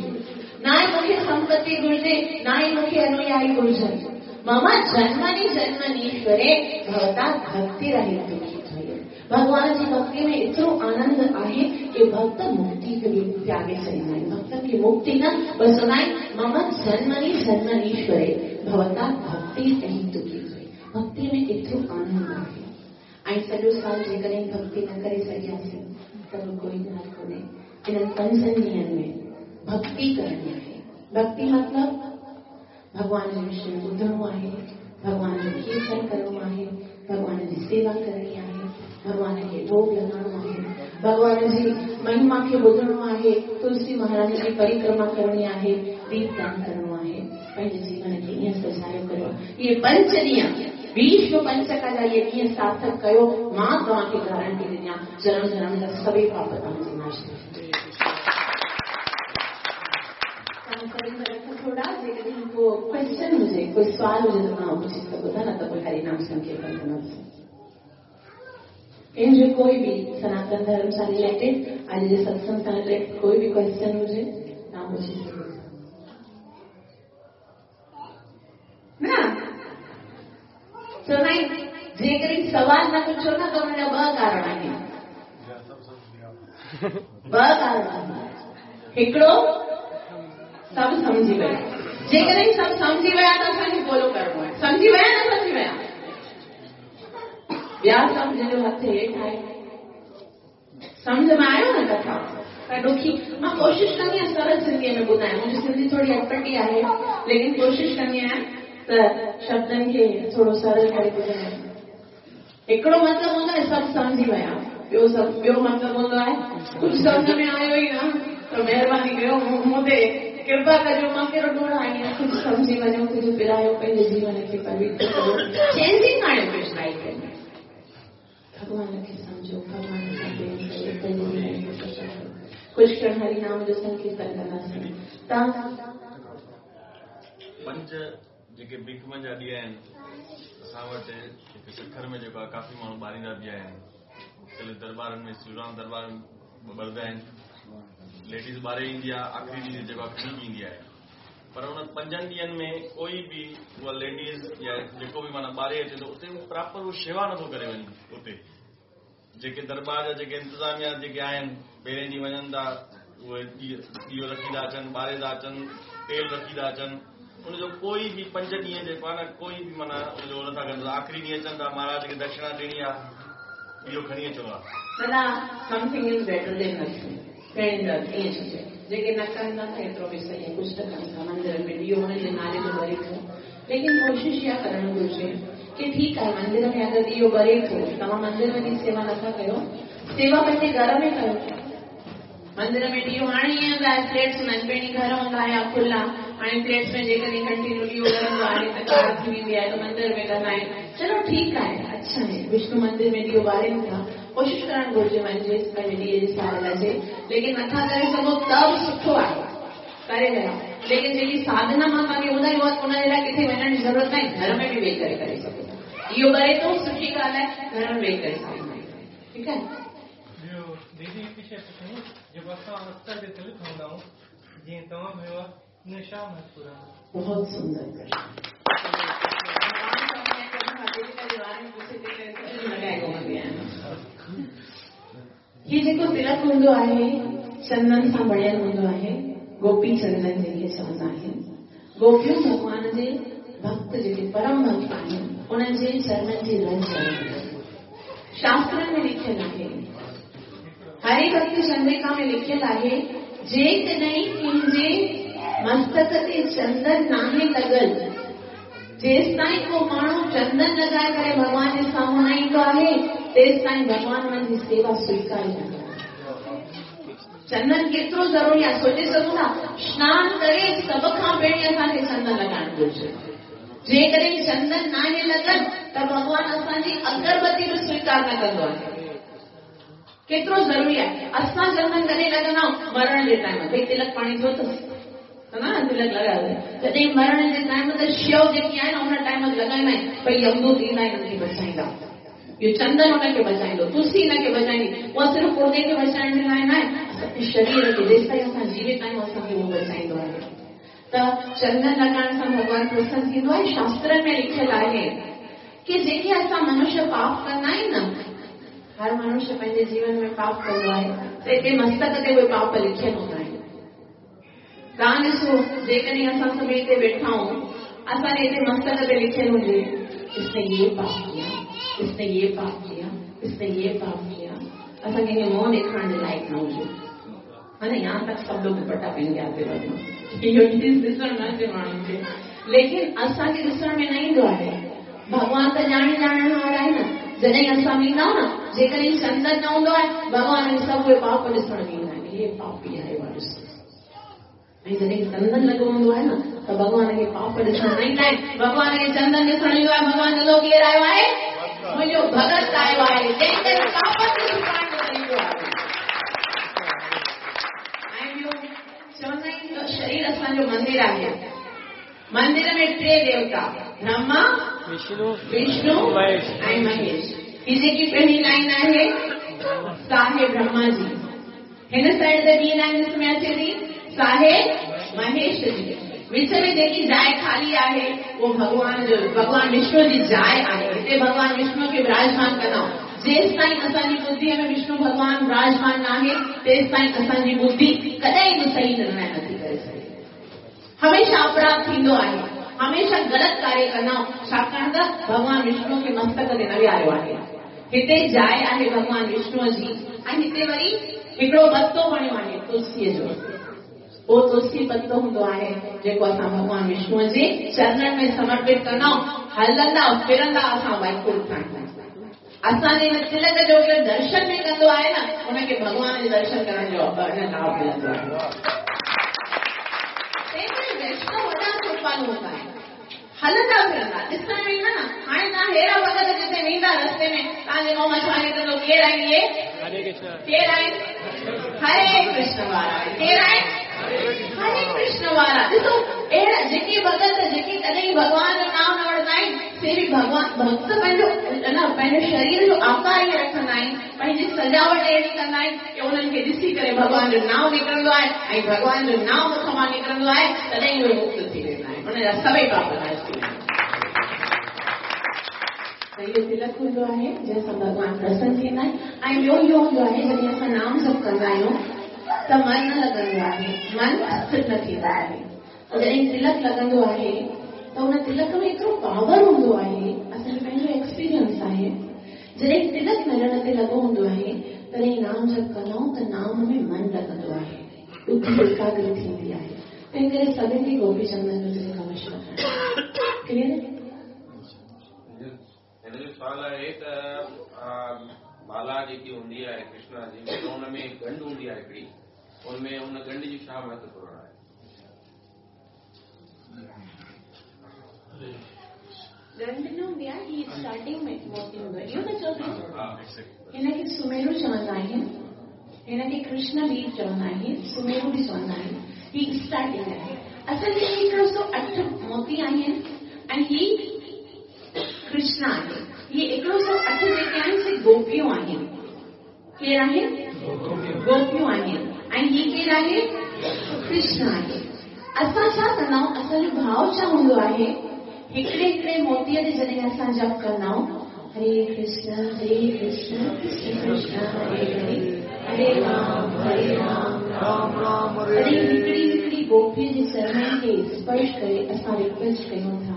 न ई मूंखे संपत्ति घुरिजे, न ई मूंखे अनुयायी घुरिजनि। मम जन्मनि जन्मनीश्वरे भवता भक्ति रहित थी। भॻवान जी भक्ति में एतिरो आनंद आहे की भक्त मुक्ति खे बि त्यागे छॾींदा आहिनि। भक्तनि खे मुक्ति न, बसि चवंदा आहिनि मम जन्मनि जन्मनीश्वरे भवता भक्ति रहित थी। भक्ति में एतिरो आनंद आहे। ऐं सॼो साल जेकॾहिं भक्ति न करे सघियासीं त बि कोई ॻाल्हि कोन्हे। इन्हनि पंजनि ॾींहंनि में भक्ति करणी आहे। भक्ति मतिलबु भॻवान जे विषय में ॿुधणो आहे, भॻवान जो कीर्तन करिणो आहे, भॻवान जी सेवा करणी आहे, भॻवान खे भोग लॻाइणो आहे, भॻवान जी महिमा खे ॿुधणो आहे, तुलसी महाराज जी परिक्रमा करणी आहे, दीपदान करिणो आहे। पंहिंजे जीवन खे ईअं सजायो करियो। इहे पंज ॾींहं भीष्म पंचक जा इहे ॾींहं सार्थक कयो, मां तव्हांखे गारंटी ॾियां जनम जनम जा सभई पाप तव्हांजे नाश थी। थोड़ा जेकॾहिं को क्वेश्चन हुजे, कोई सवाल हुजे त तव्हां पुछी सघो था, न त पोइ हरिनाम संकीर्तन कंदासीं। कंहिंजो कोई बि सनातन धर्म सां रिलेटेड, अॼु जे सत्संग सां रिलेटेड कोई बि क्वेश्चन हुजे तव्हां पुछी सघो था। न चवंदा आहिनि जेकॾहिं सवाल न पुछो न त हुनजा ॿ कारण आहिनि, ॿ कारण आहिनि। हिकिड़ो सभु सम्झी विया, जेकॾहिं सभु सम्झी विया त असांखे फॉलो करिणो आहे। सम्झी विया न सम्झी विया? ॿिया सम्झ जो हथु हेठि आहे। सम्झ में आयो न कथा? त ॾुखी मां कोशिशि कंदी आहियाँ सरल सिंधीअ में ॿुधायां। मुंहिंजी सिंधी थोरी अटपटी आहे, लेकिन कोशिशि कंदी आहियाँ त शब्दनि खे थोरो सरल करे ॿुधायां। हिकिड़ो मतिलबु हूंदो आहे सभु सम्झी विया, ॿियो सभु ॿियो मतिलबु हूंदो आहे कुझु सम्झ में आयो ई न, त महिरबानी कयो मूं ते कृपा कजो, मां कहिड़ो ॾोड़ आई आहियाँ, कुझु सम्झी वञो, कुझु पिरायो, पंहिंजे जीवन खे पवित्र कयो, चेंजिंग आणियो कुझु लाइफ में। भॻवान खे सम्झो, भॻवान सां प्रेम कयो, पंहिंजे जीवन खे सजायो। कुझु क्षण हरिनाम जो संकीर्तन कंदासीं। तव्हां पंज जेके भिकमनि जा ॾींहं आहिनि असां वटि हिते सखर में जेको आहे काफ़ी माण्हू ॿारींदा बि आहिनि, मुख़्तलिफ़ दरबारनि में, श्रीराम दरबार में ॿरंदा आहिनि। लेडीज़ ॿारे ईंदी आहे, आख़िरी ॾींहुं जेको आहे खणी बि ईंदी आहे। पर उन 5 ॾींहनि में कोई बि उहा लेडीज़ या जेको बि माना ॿारे अचे थो उते प्रॉपर उहो शेवा नथो करे वञे। उते जेके दरबार जा जेके इंतिज़ामिया जेके आहिनि पहिरें ॾींहुं वञनि था उहे ॾींहं रखी था अचनि, ॿारे था अचनि, तेल रखी था अचनि, उनजो कोई बि 5 ॾींहं जेको आहे न कोई बि माना उनजो नथा कनि। आख़िरी ॾींहुं अचनि था महाराज खे दक्षिणा ॾियणी आहे, इहो खणी अचिणो आहे। दादा something is better than nothing. पहिरीं ॻाल्हि ईअं सोचे जेके न कंदा त एतिरो बि सही आहे, कुझु त कनि था। मंदिर में ॾींहुं हुनजे नाले जो ॿरे थो, लेकिन कोशिशि इहा करणु घुरिजे की ठीकु आहे मंदिर में अगरि ॾींहुं ॿरे थो, तव्हां मंदिर वञी सेवा नथा कयो, सेवा पंहिंजे घर में कयो। मंदिर में ॾींहुं हाणे ईअं हूंदा आहे, प्लेट्स हूंदा आहिनि, पहिरीं घर हूंदा हुआ खुला, हाणे प्लेट्स में जेकॾहिं कंटिन्यू ॾींहुं ॿरंदो आहे त कार थी वेंदी आहे त मंदिर में कंदा आहिनि। चलो ठीकु आहे, अच्छा आहे, विष्णु मंदिर में ॾींहुं ॿारनि था, कोशिशि करणु घुरिजे वञिजे पंहिंजे ॾींहं जी साल अचे, लेकिन नथा करे सघो त बि सुठो आहे, करे रहिया। लेकिन जेकी साधना मां तव्हांखे ॿुधाई उहा उनजे लाइ किथे वञण जी ज़रूरत न आहे, घर में बि वेही करे करे सघो था। इहो ॿरे थो सुठी ॻाल्हि आहे, घर में वेही करे सघंदा आहियूं, ठीकु आहे। ॿियो दीदी हिकु शइ पुछणी, जेको असां अस्तर ते तिल खणंदा आहियूं, जीअं तव्हां कयो आहे, इन छा महत्व आहे? बहुत सुंदर प्रश्न। हीउ जेको तिलक हूंदो आहे चंदन सां बणियल हूंदो आहे, गोपी चंदन जंहिंखे चवंदा आहिनि। गोपियूं भॻवान जे भक्त जेके परम भक्त आहिनि उन्हनि जे चरणनि जी रज। शास्त्रनि में लिखियल आहे, हरि भक्ति चंद्रिका में लिखियल आहे, जेकॾहिं कंहिंजे मस्तक ते चंदन नाहे लॻल, जेसि ताईं को माण्हू चंदन लॻाए करे भॻवान जे साम्हूं न ईंदो आहे, तेसि ताईं भॻवान हुनजी सेवा स्वीकार न कंदो। चंदन केतिरो ज़रूरी आहे सोचे सघूं था। स्नान करे सभ खां पहिरीं असांखे चंदन लॻाइणु घुरिजे। जेकॾहिं चंदन नाहे लॻल त भॻवान असांजी अगरबत्ती बि स्वीकार न कंदो आहे। केतिरो ज़रूरी आहे। असां चंदन कॾहिं लॻंदा आहियूं? मरण जे टाइम ते तिलक पाणी थियो अथसि न, तिलक लॻायो। जॾहिं मरण जे टाइम ते शव जेकी आहे न उन टाइम ते लॻाईंदा आहिनि, भई यमदूत ईंदा आहिनि हुनखे बचाईंदा। इहो चंदन हुनखे बचाईंदो, तुलसी हिनखे बचाईंदी। उहा सिर्फ़ु पुर्दे खे बचाइण जे लाइ न आहे, असांजे शरीर खे जेसि ताईं असां जीवित आहियूं असांखे उहो बचाईंदो आहे। त चंदन लॻाइण सां भॻवानु प्रसन्न थींदो आहे। शास्त्रनि में लिखियलु आहे की जेके असां मनुष्य पाप कंदा आहिनि न, हर मनुष्य पंहिंजे जीवन में पाप कंदो आहे, त हिते मस्तक ते उहे पाप लिखियलु हूंदा आहिनि। तव्हां ॾिसो, जेकॾहिं असां सभु हिते वेठा आहियूं, असांजे हिते मस्तक ते लिखियलु हुजे, इसने ये पाप किया, इसने ये पाप किया, इसने ये पाप किया, असांखे कंहिंखे मुंहुं ॾेखारण जे लाइक़ न हुजे। हा न, यहाँ तक सभु लोग दुपट्टा पहन के आते रहो, इहो चीज़ ॾिसण न अचे माण्हुनि खे, लेकिन असांखे ॾिसण में न ईंदो आहे। भॻवान त ॼाणे ॼाणणहार आहे न। जॾहिं असां वेंदा आहियूं न, जेकॾहिं चंदन न हूंदो आहे, भॻवान खे सभु उहे पाप ॾिसण में ईंदा आहिनि, इहे पापी आहे ॾिसो। ऐं जॾहिं चंदन लॻो हूंदो आहे न त भॻवान खे पाप ॾिसण न ईंदा आहिनि, भॻवान खे चंदन ॾिसण ईंदो आहे। भॻवान चवंदो केरु आयो आहे? मुंहिंजो भगत आयो आहे, जंहिं करे पापनि खे छुटाइण जो तरीक़ो आहे। ऐं ॿियो चवंदा आहिनि त शरीर असांजो मंदिर आहे। मंदिर में टे देवता, ब्रह्मा, विष्णु, विष्णु ऐं महेश। हीअ जेकी पहिरीं लाइन आहे सा आहे ब्रह्मा जी, हिन साइड ते ॿी लाइन ॾिस में अचे थी सा आहे महेश जी, विच में जेकी जाइ खाली आहे उहो भॻवान जो, भॻवान विष्णु जी जाइ आहे। हिते भॻवान विष्णु खे विराजमान कंदा आहियूं। जेसि ताईं असांजी बुद्धिअ में विष्णु भॻवान विराजमान न आहे, तेसि ताईं असांजी बुद्धि कॾहिं बि सही निर्णय नथी करे सघे। हमेशह अपराध थींदो आहे, हमेशह ग़लति कार्य कंदा आहियूं, छाकाणि त भॻवान विष्णु खे मस्तक ते न विहारियो आहे। हिते जाइ आहे भॻवान विष्णुअ जी, ऐं हिते वरी हिकिड़ो पत्तो बणियो आहे तुलसीअ जो। उहो तुलसी पत्तो हूंदो आहे जेको असां भॻवान विष्णुअ जे चरणनि में समर्पित कंदा आहियूं। हलंदा फिरंदा असां वैकुंठ ठाहींदा। असांजे हिन तिलक जो केरु दर्शन बि कंदो आहे न, हुनखे भॻवान जे दर्शन करण जो लाभ मिलंदो आहे। तंहिं वैष्णव वॾा कृपालु हूंदा आहिनि, हलंदा फिरंदा ॾिसण में ईंदा न। हाणे तव्हां अहिड़ा भॻत जिते वेंदा रस्ते में, तव्हांजे मुंहं मां छा निकिरंदो? केरु आहिनि इहे? केरु आहिनि? हरे कृष्ण वारा। केरु आहिनि? हरे कृष्ण वारा। ॾिसो अहिड़ा जेके भॻत जेके कॾहिं भॻवान जो नाम न वठंदा आहिनि, से बि भॻवान भक्त पंहिंजो न पंहिंजे शरीर जो आकार ईअं रखंदा आहिनि, पंहिंजी सजावट अहिड़ी कंदा आहिनि की उन्हनि खे ॾिसी करे भॻवान जो नाम निकिरंदो आहे, ऐं भॻवान जो नाम मुख मां निकिरंदो आहे, तॾहिं उहे मुक्त थी हुनजा सभई पाप नाश थी वेंदा। त इहो तिलक हूंदो आहे जंहिंसां भॻवान प्रसन्न थींदा आहिनि। ऐं ॿियो इहो हूंदो आहे जॾहिं असां नाम जप कंदा आहियूं त मन न लॻंदो आहे, मन स्थिर न थींदो आहे। जॾहिं तिलक लॻंदो आहे त उन तिलक में एतिरो पावर हूंदो आहे, असांजो पंहिंजो एक्सपीरियंस आहे। जॾहिं तिलक नरण ते लॻो हूंदो आहे तॾहिं नाम जप कंदा आहियूं त नाम में मन लॻंदो आहे, बुद्धि एकाग्र थींदी आहे। तंहिं करे सभिनी खे गोपी चंदन जो तिलक अवश्य लॻाइणो। क्लियर? हिन जो सवाल आहे त माला जेकी हूंदी आहे कृष्णा जी, त हुन में ॻंढ हूंदी आहे हिकिड़ी, उनमें उन ॻंढ जो छा महत्वपूर्ण आहे? ॻंढ न हूंदी आहे, हीअ स्टार्टिंग में मोती हूंदो आहे। इहो त चओ पिया, हिनखे सुमेरू चवंदा आहिनि, हिनखे कृष्ण बीज चवंदा आहिनि, सुमेरू बि चवंदा आहिनि। हीअ स्टार्टिंग आहे। असल में 108 मोती आहिनि ऐं हीअ कृष्ण आहे। इहे 108 जेके आहिनि से गोपियूं आहिनि। केरु आहिनि? गोपियूं आहिनि। ऐं हीअ केरु आहे? कृष्ण आहे। असां छा कंदा आहियूं, असांजो भाव छा हूंदो आहे, हिकिड़े हिकिड़े मोतीअ ते जॾहिं असां जप कंदा आहियूं, हरे कृष्ण हरे कृष्ण कृष्ण कृष्ण हरे हरे हरे राम हरे राम राम राम हरे। तॾहिं हिकिड़ी हिकिड़ी गोपीअ जे चरणनि खे स्पर्श करे असां रिक्वेस्ट कयूं था,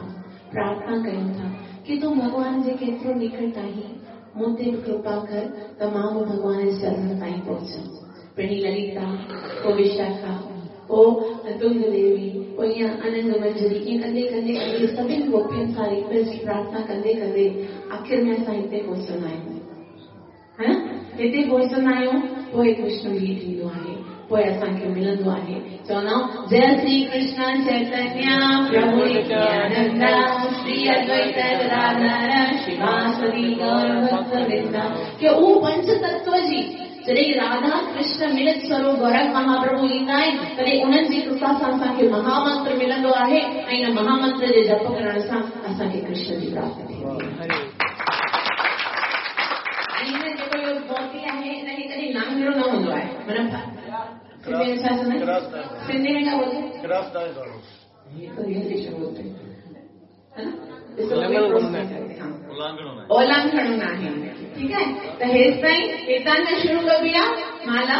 प्रार्थना कयूं था की तूं भॻवान जे केतिरो निकट आहीं, मूं ते बि कृपा कर त मां बि भॻवान जे चरणनि ताईं पहुचां। पहिरीं ललिता, पोइ विशाखा, पोइ तुंग देवी, पोइ ईअं अनंद मंजरी, ईअं कंदे कंदे कंदे सभिनी गोपियुनि सां रिक्वेस्ट प्रार्थना कंदे कंदे आख़िर में असां हिते पहुचंदा आहियूं, हा न? हिते पहुचंदा आहियूं, पोइ कृष्ण बि थींदो आहे, पोइ असांखे मिलंदो आहे। चवंदा आहियूं जय श्री कृष्ण चैतन्य प्रभु नित्यानंद श्री अद्वैत गदाधर श्रीवासदि गौर भक्त वृंदा। की उहो पंच तत्व जी जॾहिं राधा कृष्ण मिलित स्वरूप गौरंग महाप्रभु ईंदा आहिनि तॾहिं उन्हनि जी कृपा सां असांखे महामंत्र मिलंदो आहे ऐं इन महामंत्र जे जप करण सां असांखे कृष्ण जी प्राप्ति थींदी आहे। ऐं हिन जेको इहो मोती आहे हिनखे कॾहिं लांघणो न हूंदो आहे। माना सिंधी में छा चवंदा आहिनि? सिंधी में क्या बोलते हैं? ये तो इंग्लिश में बोलते हैं, है ना? ओलांघणो न आहे। ठीकु आहे, त हेसि ताईं हितां खां शुरू कबी आहे माला,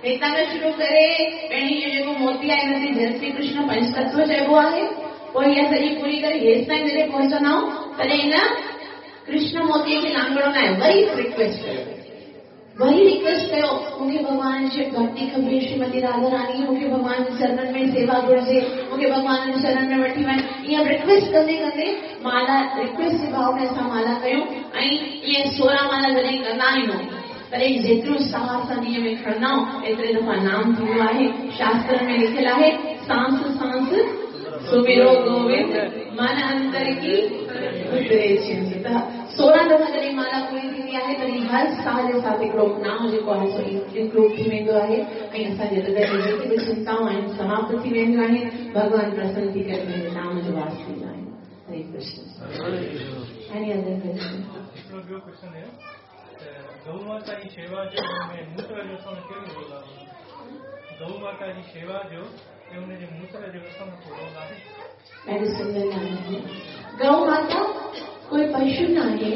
हितां खां शुरू करे पहिरीं इहो जेको मोती आहे हिन ते जय श्री कृष्ण पंचतत्व चइबो आहे, पोइ इहा सॼी पूरी करे हेसि ताईं जॾहिं पहुचंदा आहियूं तॾहिं हिन कृष्ण मोतीअ खे लांघणो न आहे। वरी रिक्वेस्ट कयो, वरी रिक्वेस्ट कयो, मूंखे भॻवान जी भक्ति खपे, श्रीमती राधा रानी मूंखे भॻवान जे चरणनि में सेवा घुरिजे, मूंखे भॻवान जे चरणनि में वठी वञ। ईअं रिक्वेस्ट कंदे कंदे माला, रिक्वेस्ट जे भाव में असां माला कयूं ऐं ईअं 16 माला जॾहिं कंदा आहियूं तॾहिं जेतिरो साह असां ॾींहं में खणंदा आहियूं एतिरे दफ़ा नाम थींदो आहे। शास्त्र में लिखियलु आहे, सांस सांस सुमिरो गोविंद मन अंतर की उतरे चिंत। त 16 दफ़ा जॾहिं माला पूरी थींदी आहे तॾहिं हर साह जे साथ हिकिड़ो नाम जेको आहे सो इंक्लूड थी वेंदो आहे ऐं असांजे हृदय में जेकी बि चिंताऊं आहिनि समाप्त थी वेंदियूं आहिनि। भॻवान प्रसन्न थी करे पंहिंजे नाम जो वास थींदा आहिनि। Hare Krishna. Any other question? हिकिड़ो ॿियो क्वेश्चन आहे त गऊ माता जी शेवा जो ऐं मूत्र जो असां कहिड़ो रोल आहे? गऊ माता जी शेवा जो ऐं हुनजे मूत्र जो असां को रोल आहे? ॾाढो सुंदर ॻाल्हि आहे। गऊ माता कोई पशु न आहे,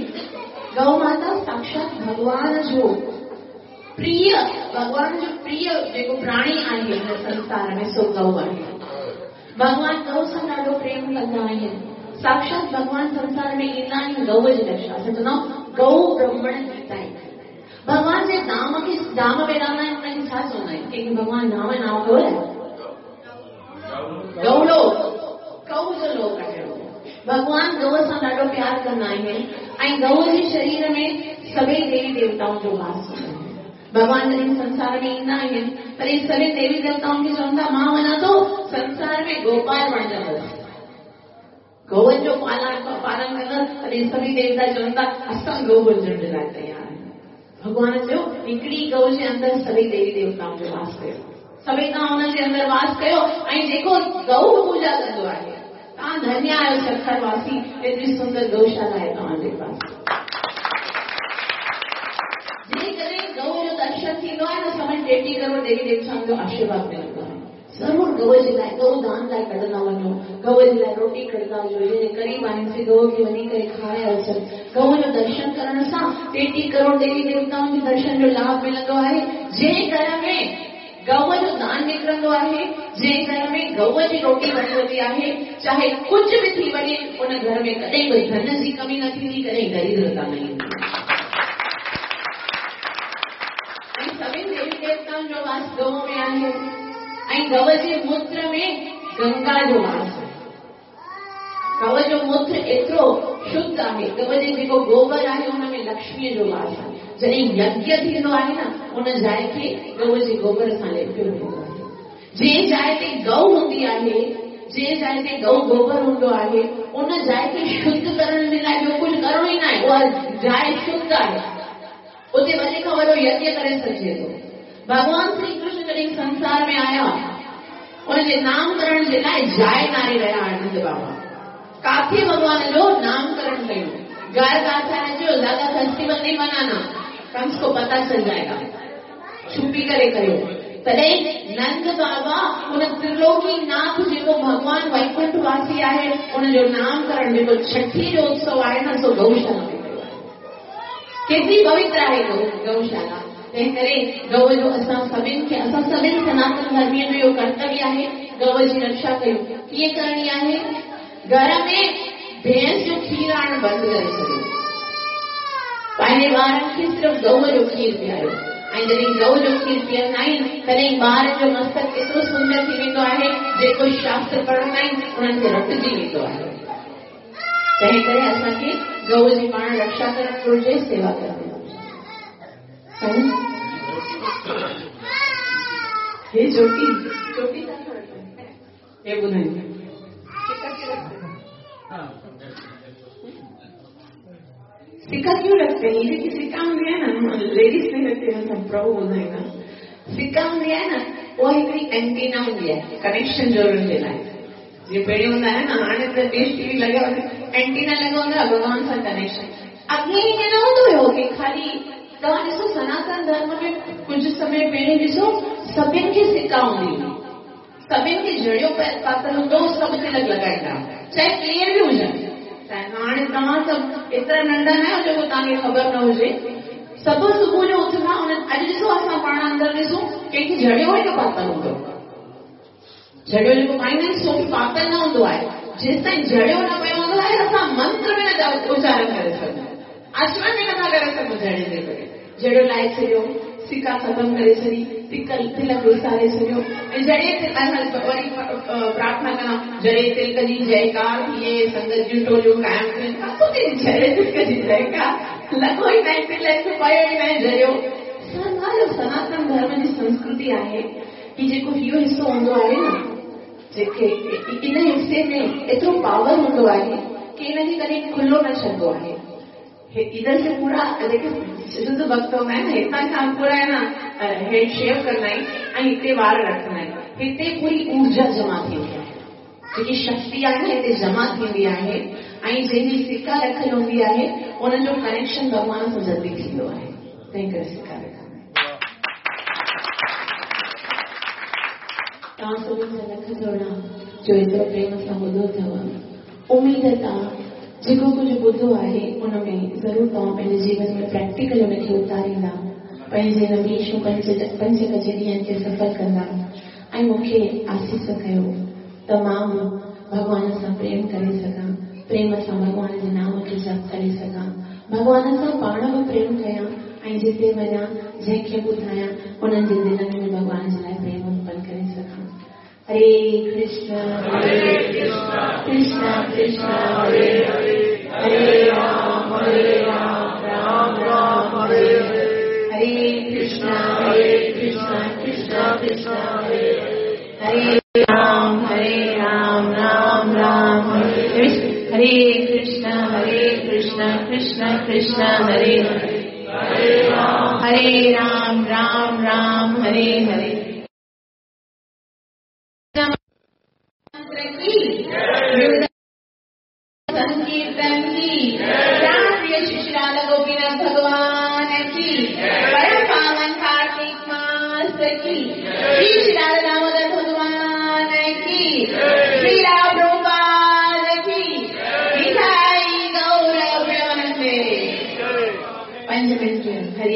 गऊ माता साक्षात भॻवान जो प्रिय, भॻवान जो प्रिय जेको प्राणी आहे हिन संसार में सो गऊ आहे। भॻवान गऊ सां ॾाढो प्रेम कंदा आहिनि। साक्षात भॻवान संसार में ईंदा आहिनि गऊ जे दशा। असां चवंदा आहियूं गऊ ब्रह्मण गीता आहे। भॻवान जे धाम खे धाम में रहंदा आहिनि हुनखे छा चवंदा आहिनि? कंहिंखे भॻवान धाम नाम ख़बर आहे? गौलोक, गऊ जो लोक आहे। भॻवान गऊ सां ॾाढो प्यार कंदा आहिनि ऐं गऊ जे शरीर में सभई देवी देवताउनि जो वास हूंदो आहे। भॻवान जॾहिं संसार में ईंदा आहिनि तॾहिं सभई देवी देवताउनि खे चवनि था मां वञा थो संसार में गोपाल बणजंदुसि, गऊनि जो पालन पालन कंदसि। तॾहिं सभई देवता चवनि था असां गऊ बणजण जे लाइ तयारु आहियूं। भॻवान चयो हिकिड़ी गऊ जे अंदरि सभई देवी देवताउनि जो वास कयो, सभई तव्हां हुनजे अंदरि वास कयो ऐं जेको गऊ पूजा कंदो आहे तव्हां धन्य आहियो सखर वासी, एतिरी सुंदर गौशाला आहे तव्हांजे पास। जेकॾहिं गऊ जो दर्शन थींदो आहे न समझ 33 करोड़ देवी देवताउनि जो आशीर्वाद मिलंदो आहे। ज़रूरु गऊ जे लाइ गऊ दान लाइ कढंदा वञो, गऊ जे लाइ रोटी कढंदा वञो, जंहिं ग़रीब आहिनि से गऊ खे वञी करे खाराए अचनि। गऊ जो दर्शन करण सां 33 करोड़ देवी देवताउनि जे दर्शन जो लाभ मिलंदो आहे। जंहिं घर में गऊ जो दान निकिरंदो आहे, जंहिं घर में गऊ जी रोटी वणंदी आहे, चाहे कुझु बि थी वञे, उन घर में कॾहिं बि धन जी कमी न थींदी, कॾहिं दरिद्रता न ईंदी। ऐं सभिनी देवी देवताउनि जो वास गऊ में आहे ऐं गऊ जे मूत्र में गंगा जो वास आहे। गऊ जो मूत्र एतिरो शुद्ध आहे, गऊ जे जेको गोबर आहे उन में लक्ष्मीअ जो वास आहे। जॾहिं यज्ञ थींदो आहे न, उन जाइ खे गऊ जे गोबर सां लेपियो वेंदो आहे। जंहिं जाइ ते गऊ हूंदी आहे, जंहिं जाइ ते गऊ गोबर हूंदो आहे, उन जाइ खे शुद्ध करण जे लाइ ॿियो कुझु करिणो ई न आहे। उहा जाइ शुद्ध आहे, उते वॾे खां वॾो यज्ञ करे सघिजे थो। भॻवान श्री कृष्ण जॾहिं संसार में आया, उनजे नामकरण जे लाइ जाइ नारे रहिया आनंद बाबा। काथे भॻवान जो नामकरण कयो, घर काथे जो ज़्यादा फेस्टिवल नहीं मनाना, कंस को पता चल जाएगा, छुपी करे कयो। तॾहिं नंद बाबा उन त्रिलोकी नाथ जेको भॻवान वैकुंठ वासी आहे, उनजो नामकरण जेको छठी जो उत्सव आहे न, सो गौशाला में कयो आहे। केतिरी पवित्र आहे गौशाला। तंहिं करे गऊ जो असां सभिनि खे, असां सभिनि सनातन धर्मीअ जो इहो कर्तव्य आहे, गऊ जी रक्षा कयूं। कीअं करणी आहे? घर में भैंस जो खीर आणणु बंदि करे छॾियो, पंहिंजे ॿारनि खे सिर्फ़ु गऊ जो खीर पीआरियो। ऐं जॾहिं गऊ जो खीर पीअंदा आहिनि, तॾहिं ॿारनि जो मस्तक एतिरो सुंदर थी वेंदो आहे, जेको शास्त्र पढ़ंदा आहिनि उन्हनि खे रटिजी वेंदो आहे। तंहिं करे असांखे गऊ जी पाण रक्षा करणु घुरिजे, सेवा करणु घुरिजे। हे चोटी चोटी हे ॿुधाईंदा। सिक्का क्यों रखते हैं? ये जेकी सिक्का हूंदी आहे न, लेडीज नहीं रखते हैं, सब प्रभु ॿुधाईंदा। सिक्का हूंदी आहे न, उहा हिकिड़ी एंटीना हूंदी आहे कनेक्शन जोड़ण जे लाइ। जीअं पहिरियों हूंदा आहिनि न, हाणे त डिश टीवी लॻिया एंटीना लॻो हूंदो आहे भॻवान सां कनेक्शन। अॻे ईअं न हूंदो हुयो की ख़ाली तव्हां ॾिसो सनातन धर्म में कुझु समय पहिरियों ॾिसो सभिनि खे सिक्का हूंदी हुई, सभिनि खे जड़ियो पातल हूंदो हो, सभु तिलक लॻाईंदा, चाहे केरु बि हुजनि। हाणे तव्हां सभु एतिरा नंढा न आहियो जेको तव्हांखे ख़बर न हुजे। सभु सुबुह जो उथंदा, अॼु ॾिसो असां पाण अंदरि ॾिसूं कंहिंखे जड़ियो ई न पातल हूंदो, जड़ियो जेको पाईंदा आहिनि सो बि पातल न हूंदो आहे। जेसि ताईं जड़ियो न पियो हूंदो आहे, असां मंत्र में न उचारण करे सघूं, आचमन बि नथा करे सघूं जड़े जे करे। जड़ियो लाहे छॾियो, सिक्का ख़तमु करे छॾी, तिलक विसारे छॾियो, ऐं जड़े वरी प्रार्थना कंदा, जड़े तिलक जी जयकार थिए, संगत जूं टोलियूं क़ाइमु थियनि। काथों थी जड़े तिलक जी जयकार? लॻो ई न तिलक, पियो ई न जड़ियो। सनातन धर्म जी संस्कृति आहे कि जेको इहो हिसो हूंदो आहे न, जेके इन हिसे में एतिरो पावर हूंदो आहे की इनखे कॾहिं खुलो न छॾिबो आहे। इधर से पूरा जेके शुद्ध भक्त हूंदा आहिनि, हितां खां पूरा आहे न हेड शेव कंदा आहिनि ऐं हिते वार रखंदा आहिनि। हिते पूरी ऊर्जा जमा थींदी आहे, जेकी शक्ति आहे न हिते जमा थींदी आहे ऐं जंहिंजी सिक्का रखियल हूंदी आहे उनजो कनेक्शन भॻवान सां जल्दी थींदो आहे। तंहिं करे सिक्का रखंदा आहिनि। तव्हां सभिनि जा लख जोड़ा जो एतिरो प्रेम सां ॿुधो अथव। उमेद त जेको कुझु ॿुधो आहे उन में ज़रूरु तव्हां पंहिंजे जीवन में प्रैक्टिकल उनखे उतारींदा, पंहिंजे नवीशूं पंज कजे ॾींहनि खे सफल कंदा ऐं मूंखे आसीस कयो त मां बि भॻवान सां प्रेम करे सघां, प्रेम सां भॻवान जे नाम खे जप करे सघां, भॻवान सां पाण बि प्रेम कयां ऐं जिते वञा जंहिंखे ॿुधायां उन्हनि जे दिलनि में भॻवान जे लाइ प्रेम उत्पन्न करे सघां। हरे कृष्ण हरे कृष्ण कृष्ण कृष्ण हरे हरे, हरे राम राम राम हरे हरे, हरे कृष्ण कृष्ण कृष्ण हरे हरे, राम राम राम हरे हरे, कृष्ण कृष्ण कृष्ण हरे हरे, हरे राम राम राम हरे हरे। संकीर्तन की प्रिय श्री राधा गोपीनाथ भगवान की, परम पावन कार्तिक मास की, श्री राधा दामोदर भगवान।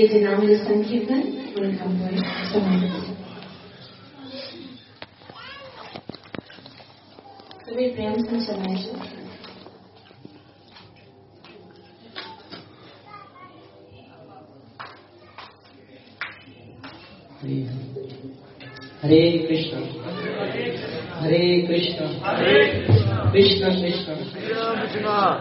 हरीअ जे नाम जो संकीर्तन, उन खां पोइ समाप्त। सभई प्रेम सां चलाइजो। हरे कृष्ण हरे कृष्ण कृष्ण कृष्ण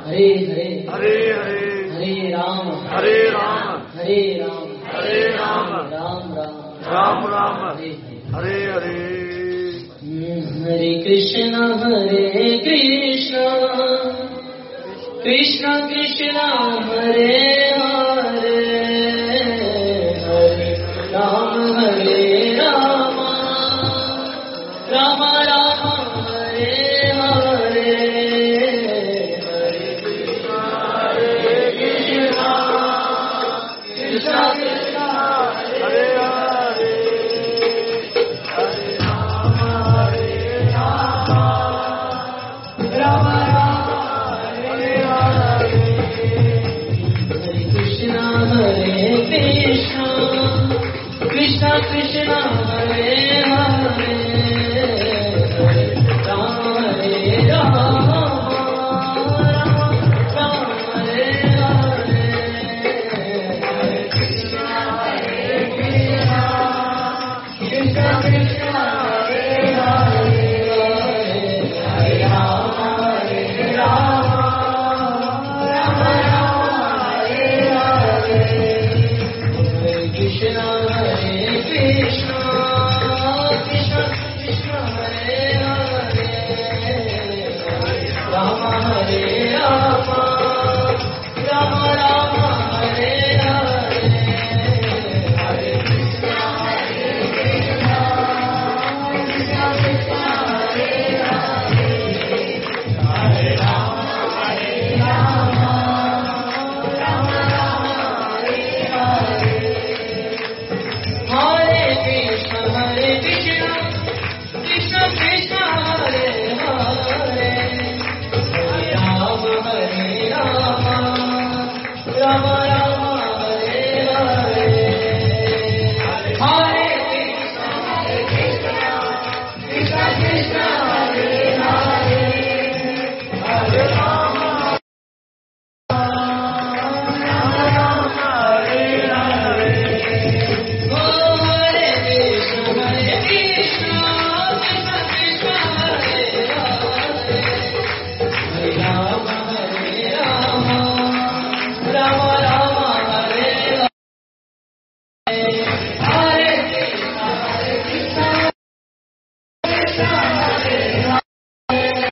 हरे हरे हरे हरे हरे राम हरे राम हरे राम हरे राम राम राम राम राम हरे हरे हरे। हरे कृष्ण कृष्ण कृष्ण हरे हरे हरे राम हरे राम राम राम हरे हरे हरे कृष्ण कृष्ण कृष्ण हरे हरे हरे राम हरे राम राम राम हरे हरे हरे कृष्ण कृष्ण कृष्ण हरे हरे हरे राम हरे राम राम राम हरे हरे हरे कृष्ण कृष्ण कृष्ण हरे हरे हरे राम हरे राम राम राम हरे हरे हरे कृष्ण कृष्ण कृष्ण हरे हरे राम हरे राम राम राम हरे हरे हरे कृष्ण कृष्ण कृष्ण हरे हरे हरे राम हरे राम राम राम हरे हरे हरे कृष्ण कृष्ण कृष्ण हरे हरे हरे राम हरे राम राम राम हरे हरे हरे कृष्ण कृष्ण कृष्ण हरे हरे हरे राम